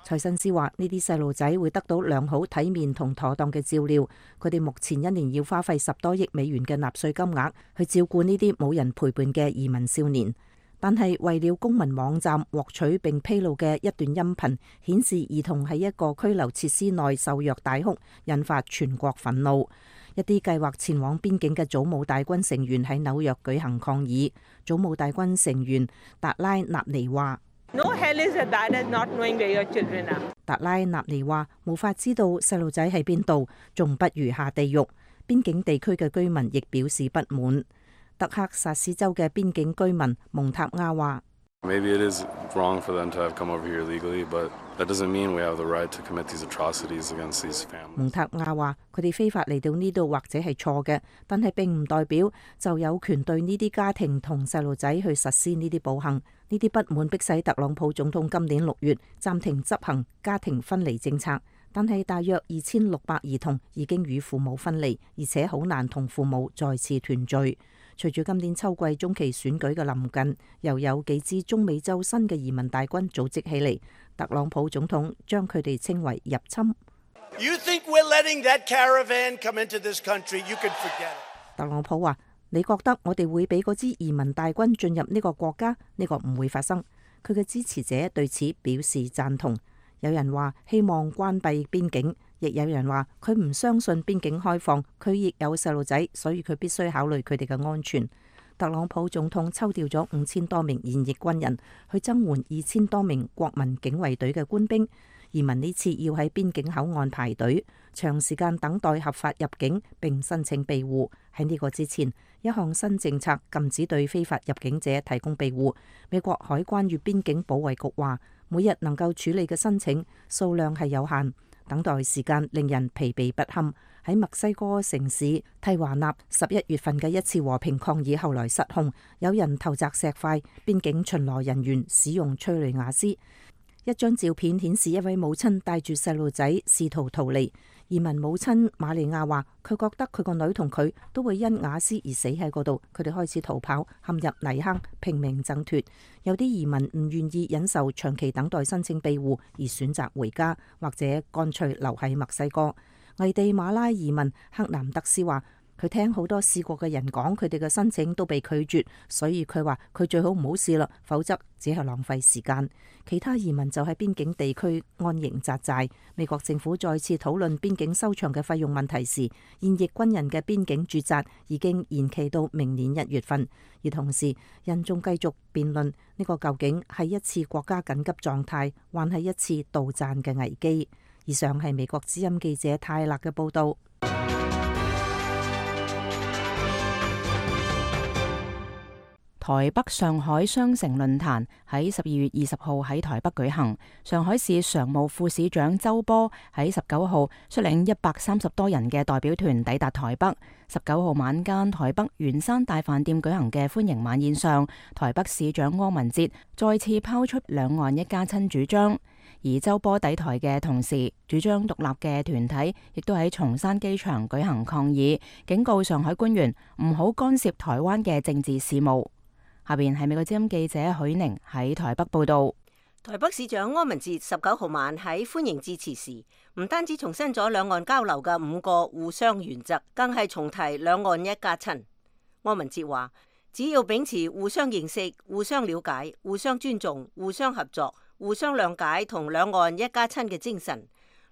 財慎斯話：呢啲細路仔會得到良好體面同妥當嘅照料。佢哋目前一年要花費十多億美元嘅納稅金額去照顧呢啲冇人陪伴嘅移民少年。但係為了公民網站獲取並披露嘅一段音頻，顯示兒童喺一個拘留設施內受虐大哭，引發全國憤怒。一啲計劃前往邊境嘅祖母大軍成員喺紐約舉行抗議。祖母大軍成員達拉納尼話：No hell is as bad as not knowing where your children are. 達拉納尼話：無法知道細路仔喺邊度，仲不如下地獄。邊境地區嘅居民亦表示不滿。德克薩斯州嘅邊境居民蒙塔亞話：Maybe it is wrong for them to have come over here legally, but that doesn't mean we have the right to commit these atrocities against these families. 蒙塔亞話：佢哋非法嚟到呢度或者係錯嘅，但係並唔代表就有權對呢啲家庭同細路仔去實施呢啲暴行。呢啲不滿迫使特朗普總統今年六月暫停執行家庭分離政策，但係大約二千六百兒童已經與父母分離，而且好難同父母再次團聚。隨住今年秋季中期選舉嘅臨近，又有幾支中美洲新嘅移民大軍組織起嚟，特朗普總統將佢哋稱為入侵。You think we're letting that caravan come into this country? You can forget it. 特朗普話：你覺得我哋會俾嗰支移民大軍進入呢個國家？呢個唔會發生。佢嘅支持者對此表示贊同。有人話希望關閉邊境，亦有人話佢唔相信邊境開放，佢亦有細路仔，所以佢必須考慮佢哋嘅安全。特朗普總統抽調咗五千多名現役軍人去增援二千多名國民警衛隊嘅官兵。移民呢次要喺邊境口岸排隊，長時間等待合法入境並申請庇護。喺呢個之前，一項新政策禁止對非法入境者提供庇護。美國海關與邊境保衛局話，每日能夠處理嘅申請數量係有限，等待時間令人疲憊不堪。喺墨西哥城市蒂華納十一月份嘅一次和平抗議後來失控，有人投擲石塊，邊境巡邏人員使用催淚瓦斯。一張照片顯示一位母親帶住細路仔試圖逃離。移民母親瑪利亞話：佢覺得佢個女同佢都會因瓦斯而死喺嗰度。佢哋開始逃跑，陷入泥坑，拼命掙脫。有啲移民唔願意忍受長期等待申請庇護，而選擇回家，或者乾脆留喺墨西哥。危地馬拉移民克南德斯話：佢聽好多試過嘅人講，佢哋嘅申請都被拒絕，所以佢話佢最好唔好試啦，否則只係浪費時間。其他移民就喺邊境地區安營紮寨。美國政府再次討論邊境收場嘅費用問題時，現役軍人嘅邊境駐紮已經延期到明年一月份。而同時，人眾繼續辯論呢個究竟係一次國家緊急狀態，還係一次杜撰嘅危機。以上係美國之音記者泰勒嘅報道。台北上海雙城論壇喺十二月二十號喺台北舉行。上海市常務副市長周波喺十九號率領一百三十多人嘅代表團抵達台北。十九號晚間，台北圓山大飯店舉行嘅歡迎晚宴上，台北市長柯文哲再次拋出兩岸一家親主張。而周波抵台嘅同時，主張獨立嘅團體亦都喺松山機場舉行抗議，警告上海官員唔好干涉台灣嘅政治事務。下邊係美國之音記者許寧喺台北報道。台北市長柯文哲十九號晚喺歡迎致辭時，唔單止重申咗兩岸交流嘅五個互相原則，更係重提兩岸一家親。柯文哲話：只要秉持互相認識、互相了解、互相尊重、互相合作、互相諒解同兩岸一家親嘅精神，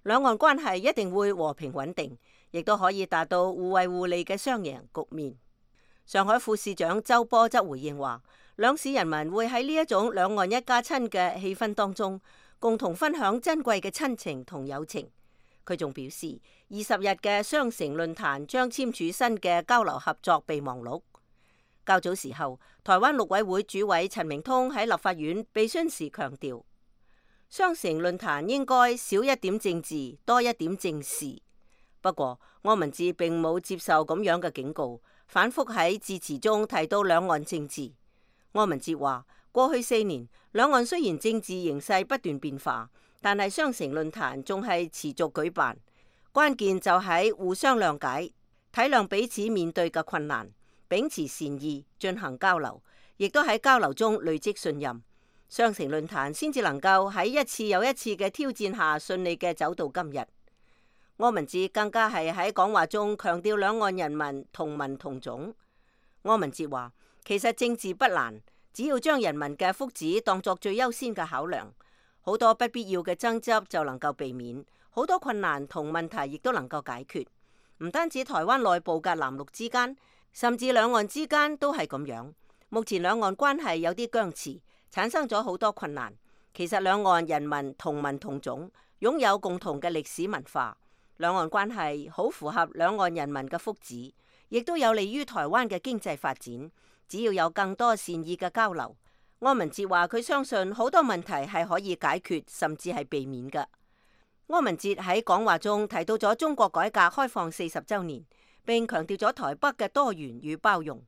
兩岸關係一定會和平穩定，亦都可以達到互惠互利嘅雙贏局面。上海副市長周波則回應話：兩市人民會喺呢一種兩岸一家親嘅氣氛當中，共同分享珍貴嘅親情同友情。佢仲表示，二十日嘅雙城論壇將簽署新嘅交流合作備忘錄。較早時候，台灣陸委會主委陳明通喺立法院被詢時強調，雙城論壇應該少一點政治，多一點正事。不過，柯文哲並冇接受咁樣嘅警告，反覆喺致辭中提到兩岸政治。柯文哲話：過去四年，兩岸雖然政治形勢不斷變化，但係雙城論壇仲係持續舉辦。關鍵就喺互相諒解，體諒彼此面對嘅困難，秉持善意進行交流，亦都喺交流中累積信任。雙城論壇先至能夠喺一次又一次嘅挑戰下順利嘅走到今日。柯文哲更加係喺講話中強調兩岸人民同文同種。柯文哲話：其實政治不難，只要將人民嘅福祉當作最優先嘅考量，好多不必要嘅爭執就能夠避免，好多困難同問題亦都能夠解決。唔單止台灣內部嘅藍綠之間，甚至兩岸之間都係咁樣。目前兩岸關係有啲僵持，產生咗好多困難。其實兩岸人民同文同種，擁有共同嘅歷史文化。兩岸關係好符合兩岸人民嘅福祉，亦都有利於台灣嘅經濟發展。只要有更多善意嘅交流，柯文哲話佢相信好多問題係可以解決，甚至係避免嘅。柯文哲喺講話中提到咗中國改革開放四十週年，並強調咗台北嘅多元與包容。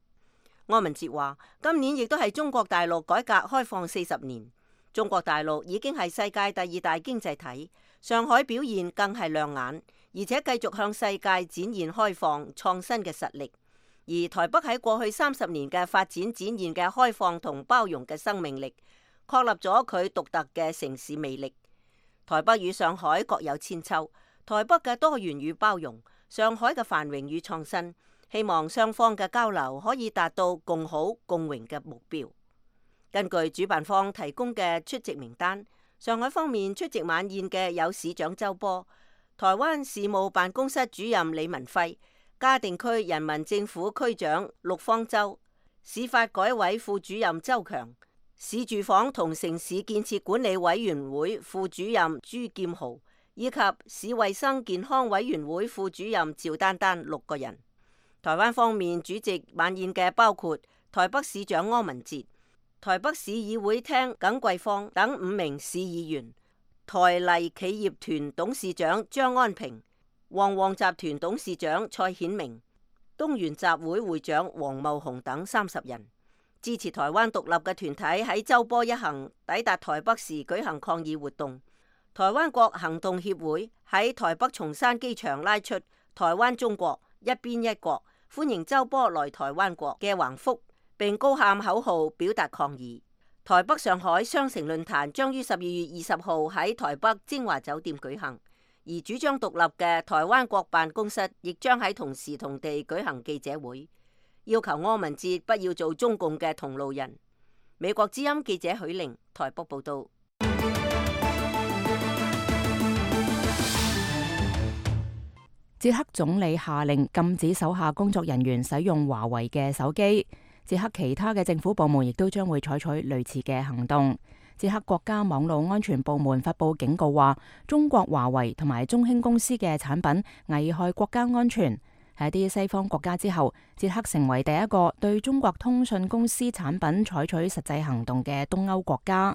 柯文哲話：今年亦都係中國大陸改革開放四十年，中國大陸已經係世界第二大經濟體，上海表現更係亮眼。而且繼續向世界展現開放創新嘅實力，而台北喺過去三十年嘅發展展現嘅開放同包容嘅生命力，確立咗佢獨特嘅城市魅力。台北與上海各有千秋，台北嘅多元與包容，上海嘅繁榮與創新，希望雙方嘅交流可以達到共好共榮嘅目標。根據主辦方提供嘅出席名單，上海方面出席晚宴嘅有市長周波、台灣事務辦公室主任李文輝、嘉定區人民政府區長陸方舟、市發改委副主任周強、市住房同城市建設管理委員會副主任朱劍豪，以及市衛生健康委員會副主任趙丹丹六個人。台灣方面主席晚宴嘅包括台北市長柯文哲、台北市議會廳耿桂芳等五名市議員，台麗企業團董事長張安平、旺旺集團董事長蔡顯明、東元集會會長黃茂雄等三十人。支持台灣獨立嘅團體喺周波一行抵達台北時舉行抗議活動。台灣國行動協會喺台北松山機場拉出台灣中國一邊一國，歡迎周波來台灣國嘅橫幅，並高喊口號表達抗議。台北上海雙城論壇將於十二月二十號喺台北精華酒店舉行，而主張獨立嘅台灣國辦公室亦將喺同時同地舉行記者會，要求柯文哲不要做中共嘅同路人。美國之音記者許玲台北報道。捷克總理下令禁止手下工作人員使用華為嘅手機。捷克其他嘅政府部門亦都將會採取類似嘅行動。捷克國家網絡安全部門發布警告話，中國華為同埋中興公司嘅產品危害國家安全。喺一啲西方國家之後，捷克成為第一個對中國通訊公司產品採取實際行動嘅東歐國家。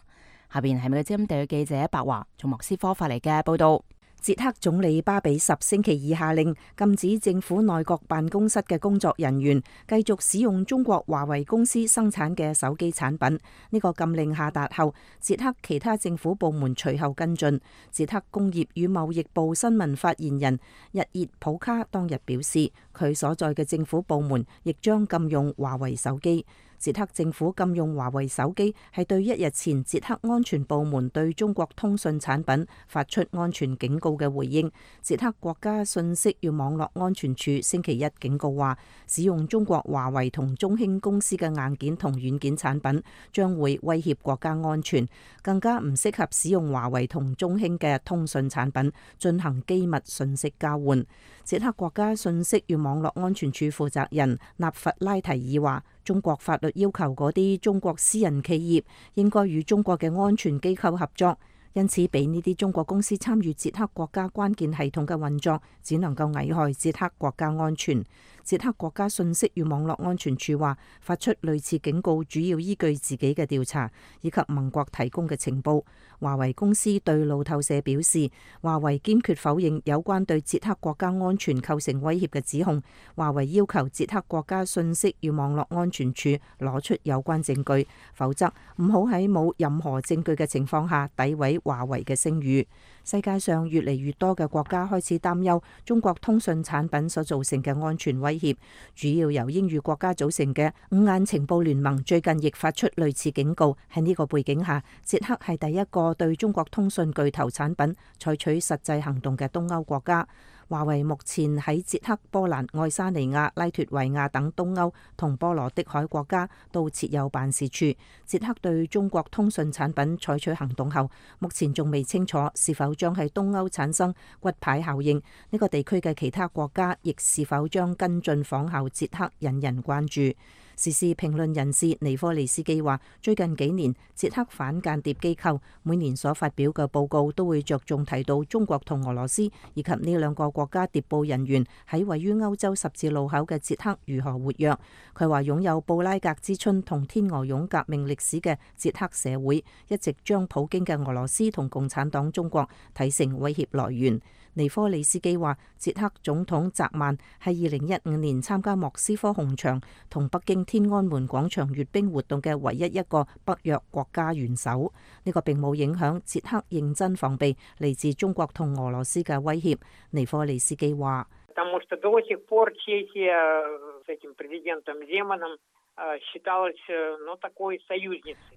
下邊係美國之音地記者白華從莫斯科發嚟嘅報道。捷克總理巴比什星期二下令禁止政府內閣辦公室嘅工作人員繼續使用中國華為公司生產嘅手機產品。呢個禁令下達後，捷克其他政府部門隨後跟進。捷克工業與貿易部新聞發言人日熱普卡當日表示，佢所在嘅政府部門亦將禁用華為手機。捷克政府禁用華為手機係對一日前捷克安全部門對中國通訊產品發出安全警告嘅回應。捷克國家信息與網絡安全處星期一警告話，使用中國華為同中興公司嘅硬件同軟件產品將會威脅國家安全，更加唔適合使用華為同中興嘅通訊產品進行機密信息交換。捷克國家信息與網絡安全處負責人納弗拉提爾話，中國法律要求嗰啲中國私人企業應該與中國嘅安全機構合作，因此俾呢啲中國公司參與捷克國家關鍵系統嘅運作，只能夠危害捷克國家安全。捷克國家信息與網絡安全處話，發出類似警告主要依據自己嘅調查以及盟國提供嘅情報。華為公司對路透社表示，華為堅決否認有關對捷克國家安全構成威脅嘅指控。華為要求捷克國家信息與網絡安全處攞出有關證據，否則唔好喺冇任何證據嘅情況下詆毀華為嘅聲譽。世界上越嚟越多嘅國家開始擔憂中國通訊產品所造成嘅安全威脅，主要由英語國家組成嘅五眼情報聯盟最近亦發出類似警告。喺呢個背景下，捷克係第一個對中國通訊巨頭產品採取實際行動嘅東歐國家。華為目前喺捷克、波蘭、愛沙尼亞、拉脫維亞等東歐同波羅的海國家都設有辦事處。捷克對中國通訊產品採取行動後，目前仲未清楚是否將喺東歐產生骨牌效應。呢個地區嘅其他國家亦是否將跟進仿效捷克，引人關注。時事評論人士尼科利斯基話，最近幾年捷克反間諜機構每年所發表嘅報告都會着重提到中國同俄羅斯以及呢兩個國家諜報人員喺位於歐洲十字路口嘅捷克如何活躍。佢話擁有布拉格之春同天鵝絨革命歷史嘅捷克社會一直將普京嘅俄羅斯同共產黨中國睇成威脅來源。尼科利斯基話，捷克總統澤曼係二零一五年參加莫斯科紅場同北京天安門廣場閱兵活動嘅唯一一個北約國家元首。呢個並冇影響捷克認真防備嚟自中國同俄羅斯嘅威脅。尼科利斯基話，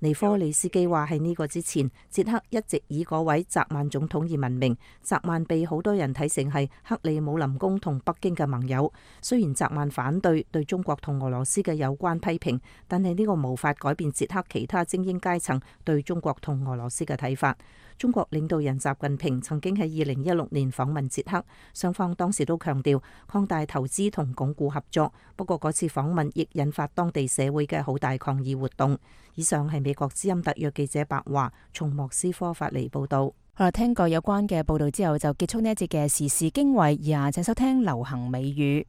尼科利斯基話喺呢個之前，捷克一直以嗰位澤曼總統而聞名。澤曼被好多人睇成係克里姆林宮同北京嘅盟友。雖然澤曼反對對中國同俄羅斯嘅有關批評，但係呢個無法改變捷克其他精英階層對中國同俄羅斯嘅睇法。中國領導人習近平曾經喺二零一六年訪問捷克，雙方當時都強調擴大投資同鞏固合作。不過嗰次訪問亦引發當地社會嘅好大抗議活動。以上係美國之音特約記者白華從莫斯科發嚟報道。好啦，聽過有關嘅報道之後，就結束呢一節嘅時事經緯。以下請收聽流行美語。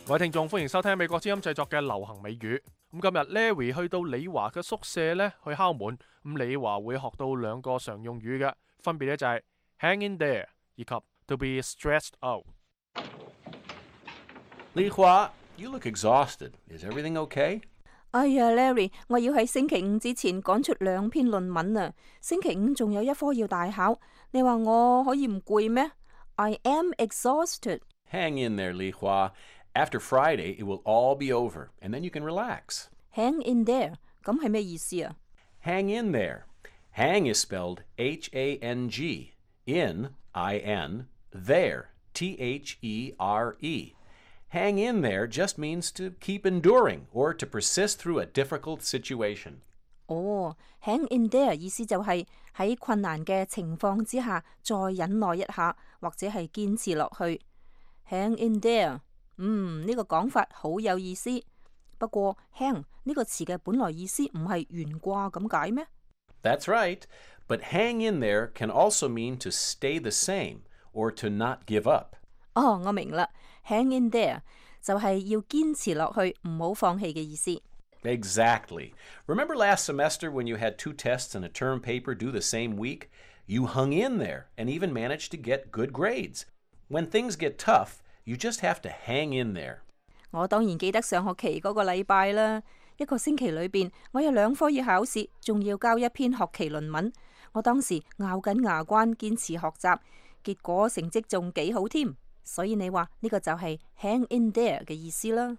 各位聽眾，歡迎收聽美國之音製作嘅流行美語。咁今日 Larry 去到李華嘅宿舍呢，去敲門。咁李華會學到兩個常用語嘅，分別咧就係 hang in there 以及 to be stressed out。李華 you look exhausted. Is everything okay? 哎呀 ，Larry， 我要喺星期五之前趕出兩篇論文啊！星期五仲有一科要大考，你話我可以唔攰咩 ？I am exhausted. Hang in there, Li Hua.After Friday, it will all be over, and then you can relax. Hang in there， 咁係咩意思啊 ？Hang in there. Hang is spelled H A N G. In, I N. There, T H E R E. Hang in there just means to keep enduring or to persist through a difficult situation. 哦、oh,，hang in there 意思就係喺困難嘅情況之下再忍耐一下，或者係堅持落去。Hang in there。嗯，呢個講法好有意思。不過 hang 呢個詞嘅本來意思唔係懸掛咁解咩？ That's right, but hang in there can also mean to stay the same or to not give up. 哦，我明啦 ，hang in there 就係要堅持落去，唔好放棄嘅意思。Exactly. Remember last semester when you had two tests and a term paper due the same week? You hung in there and even managed to get good grades. When things get tough,You just have to hang in there. 我當然記得上學期嗰個禮拜啦，一個星期裏邊，我有兩科要考試，仲要交一篇學期論文。我當時咬緊牙關堅持學習，結果成績仲幾好添。所以你話呢個就係 hang in there 嘅意思啦。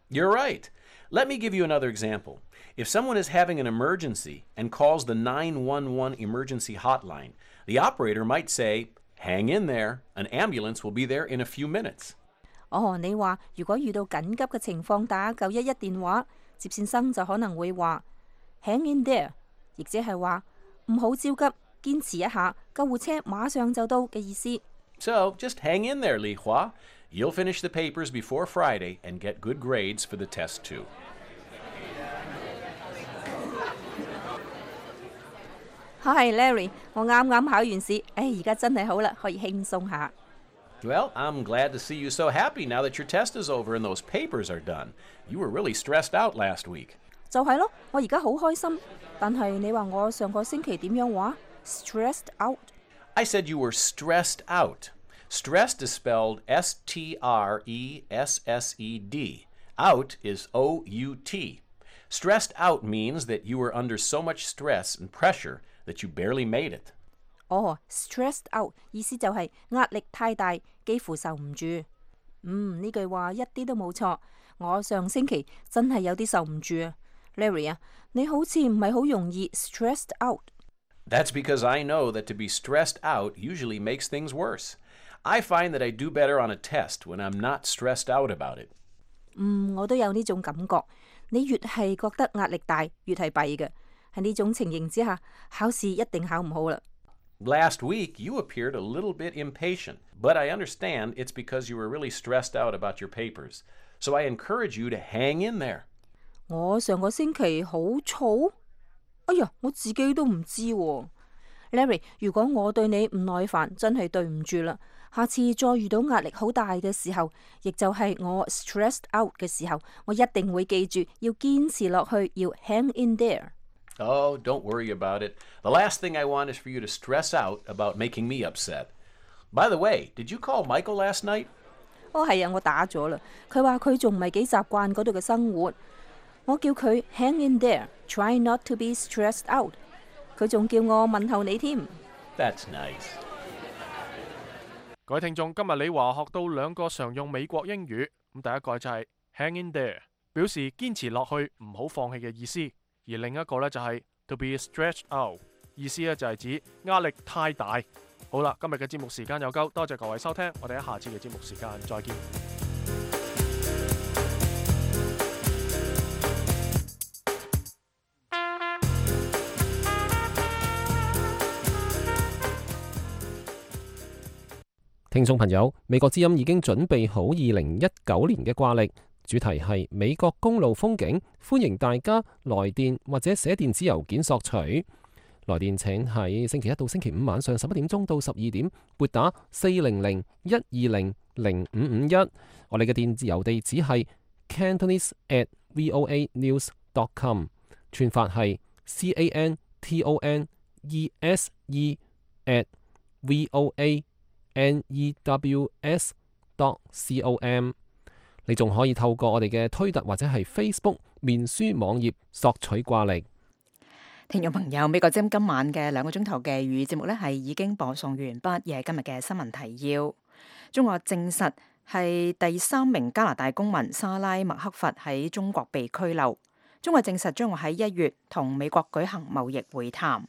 You're right. Let me give you another example. If someone is having an emergency and calls the nine one one emergency hotline, the operator might say, hang in there, an ambulance will be there in a few minutes. 哦，你話如果遇到緊急嘅情況打九一一電話，接線生就可能會話 hang in there， 亦即係話唔好焦急，堅持一下，救護車馬上就到嘅意思。So just hang in there, Li Hua. You'll finish the papers before Friday and get good grades for the test too. Hi Larry， 我啱啱考完試，誒而家真係好啦，可以輕鬆下。Well, I'm glad to see you so happy now that your test is over and those papers are done. You were really stressed out last week. 就係咯，我而家好開心。但係你話我上個星期點樣話 ？Stressed out? I said you were stressed out. Stressed is spelled S T R E S S E D. Out is O U T. Stressed out means that you were under so much stress and pressure that you barely made it. 哦 ，stressed out 意思就係壓力太大，幾乎受唔住。嗯，呢句話一啲都冇錯。我上星期真係有啲受唔住啊 ，Larry 啊，你好似唔係好容易 stressed out。That's because I know that to be stressed out usually makes things worse. I find that I do better on a test when I'm not stressed out about it. 嗯，我都有呢種感覺。你越係覺得壓力大，越係弊嘅。喺呢種情形之下，考試一定考唔好啦。Last week, you appeared a little bit impatient, but I understand it's because you were really stressed out about your papers. So I encourage you to hang in there. 我上個星期好燥？哎呀，我自己都唔知喎。Larry， 如果我對你唔耐煩，真係對唔住啦。下次再遇到壓力好大嘅時候，亦就係我 stressed out 嘅時候，我一定會記住要堅持落去，要 hang in there。Oh, don't worry about it. The last thing I want is for you to stress out about making me upset. By the way, did you call Michael last night? 哦，係啊，我打咗啦。佢話佢仲唔係幾習慣嗰度嘅生活。我叫佢 hang in there, try not to be stressed out。佢仲叫我問候你添。That's nice. 各位聽眾，今日李華學到兩個常用美國英語。咁第一個就係 hang in there， 表示堅持落去，唔好放棄嘅意思。而另一個咧就係 to be stretched out， 意思咧就係指壓力太大。好啦，今日嘅節目時間又夠，多謝各位收聽，我哋喺下次嘅節目時間再見。聽眾朋友，美國之音已經準備好二零一九年嘅掛曆。主題係美國公路風景，歡迎大家來電或者寫電子郵件索取。來電請喺星期一到星期五晚上十一點鐘到十二點撥打四零零一二零零五五一。我哋嘅電子郵地址係 cantonese at voa news dot com， 串法係 c a n t o n e s e at voa n e w s dot com。你仲可以透過我哋嘅推特或者係 Facebook 面書網頁索取掛曆。聽眾朋友，美國之音今晚嘅兩個鐘頭嘅粵語節目呢係已經播送完畢，亦係今日嘅新聞提要。中國證實係第三名加拿大公民莎拉麥克佛喺中國被拘留。中國證實將會喺一月同美國舉行貿易會談。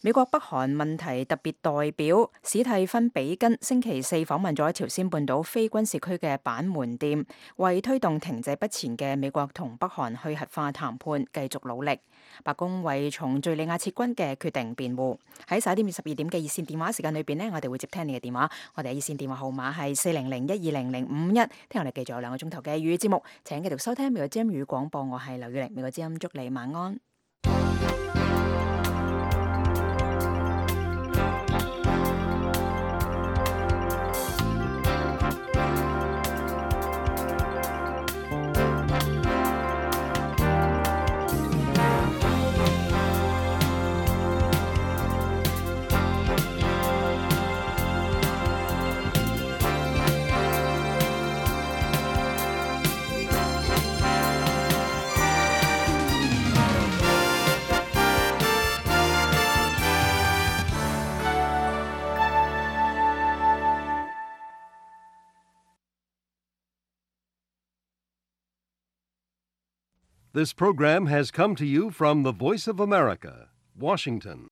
美國北韓問題特別代表史蒂芬比根星期四訪問咗朝鮮半島非軍事區嘅板門店，為推動停滯不前嘅美國同北韓去核化談判繼續努力。白宮為從敘利亞撤軍嘅決定辯護。喺十一點至十二點嘅熱線電話時間裏邊呢，我哋會接聽你嘅電話。我哋熱線電話號碼係四零零一二零零五一。聽我哋繼續有兩個鐘頭嘅粵語節目，請繼續收聽美國之音語廣播。我係劉雨玲，美國之音祝你晚安。This program has come to you from the Voice of America, Washington.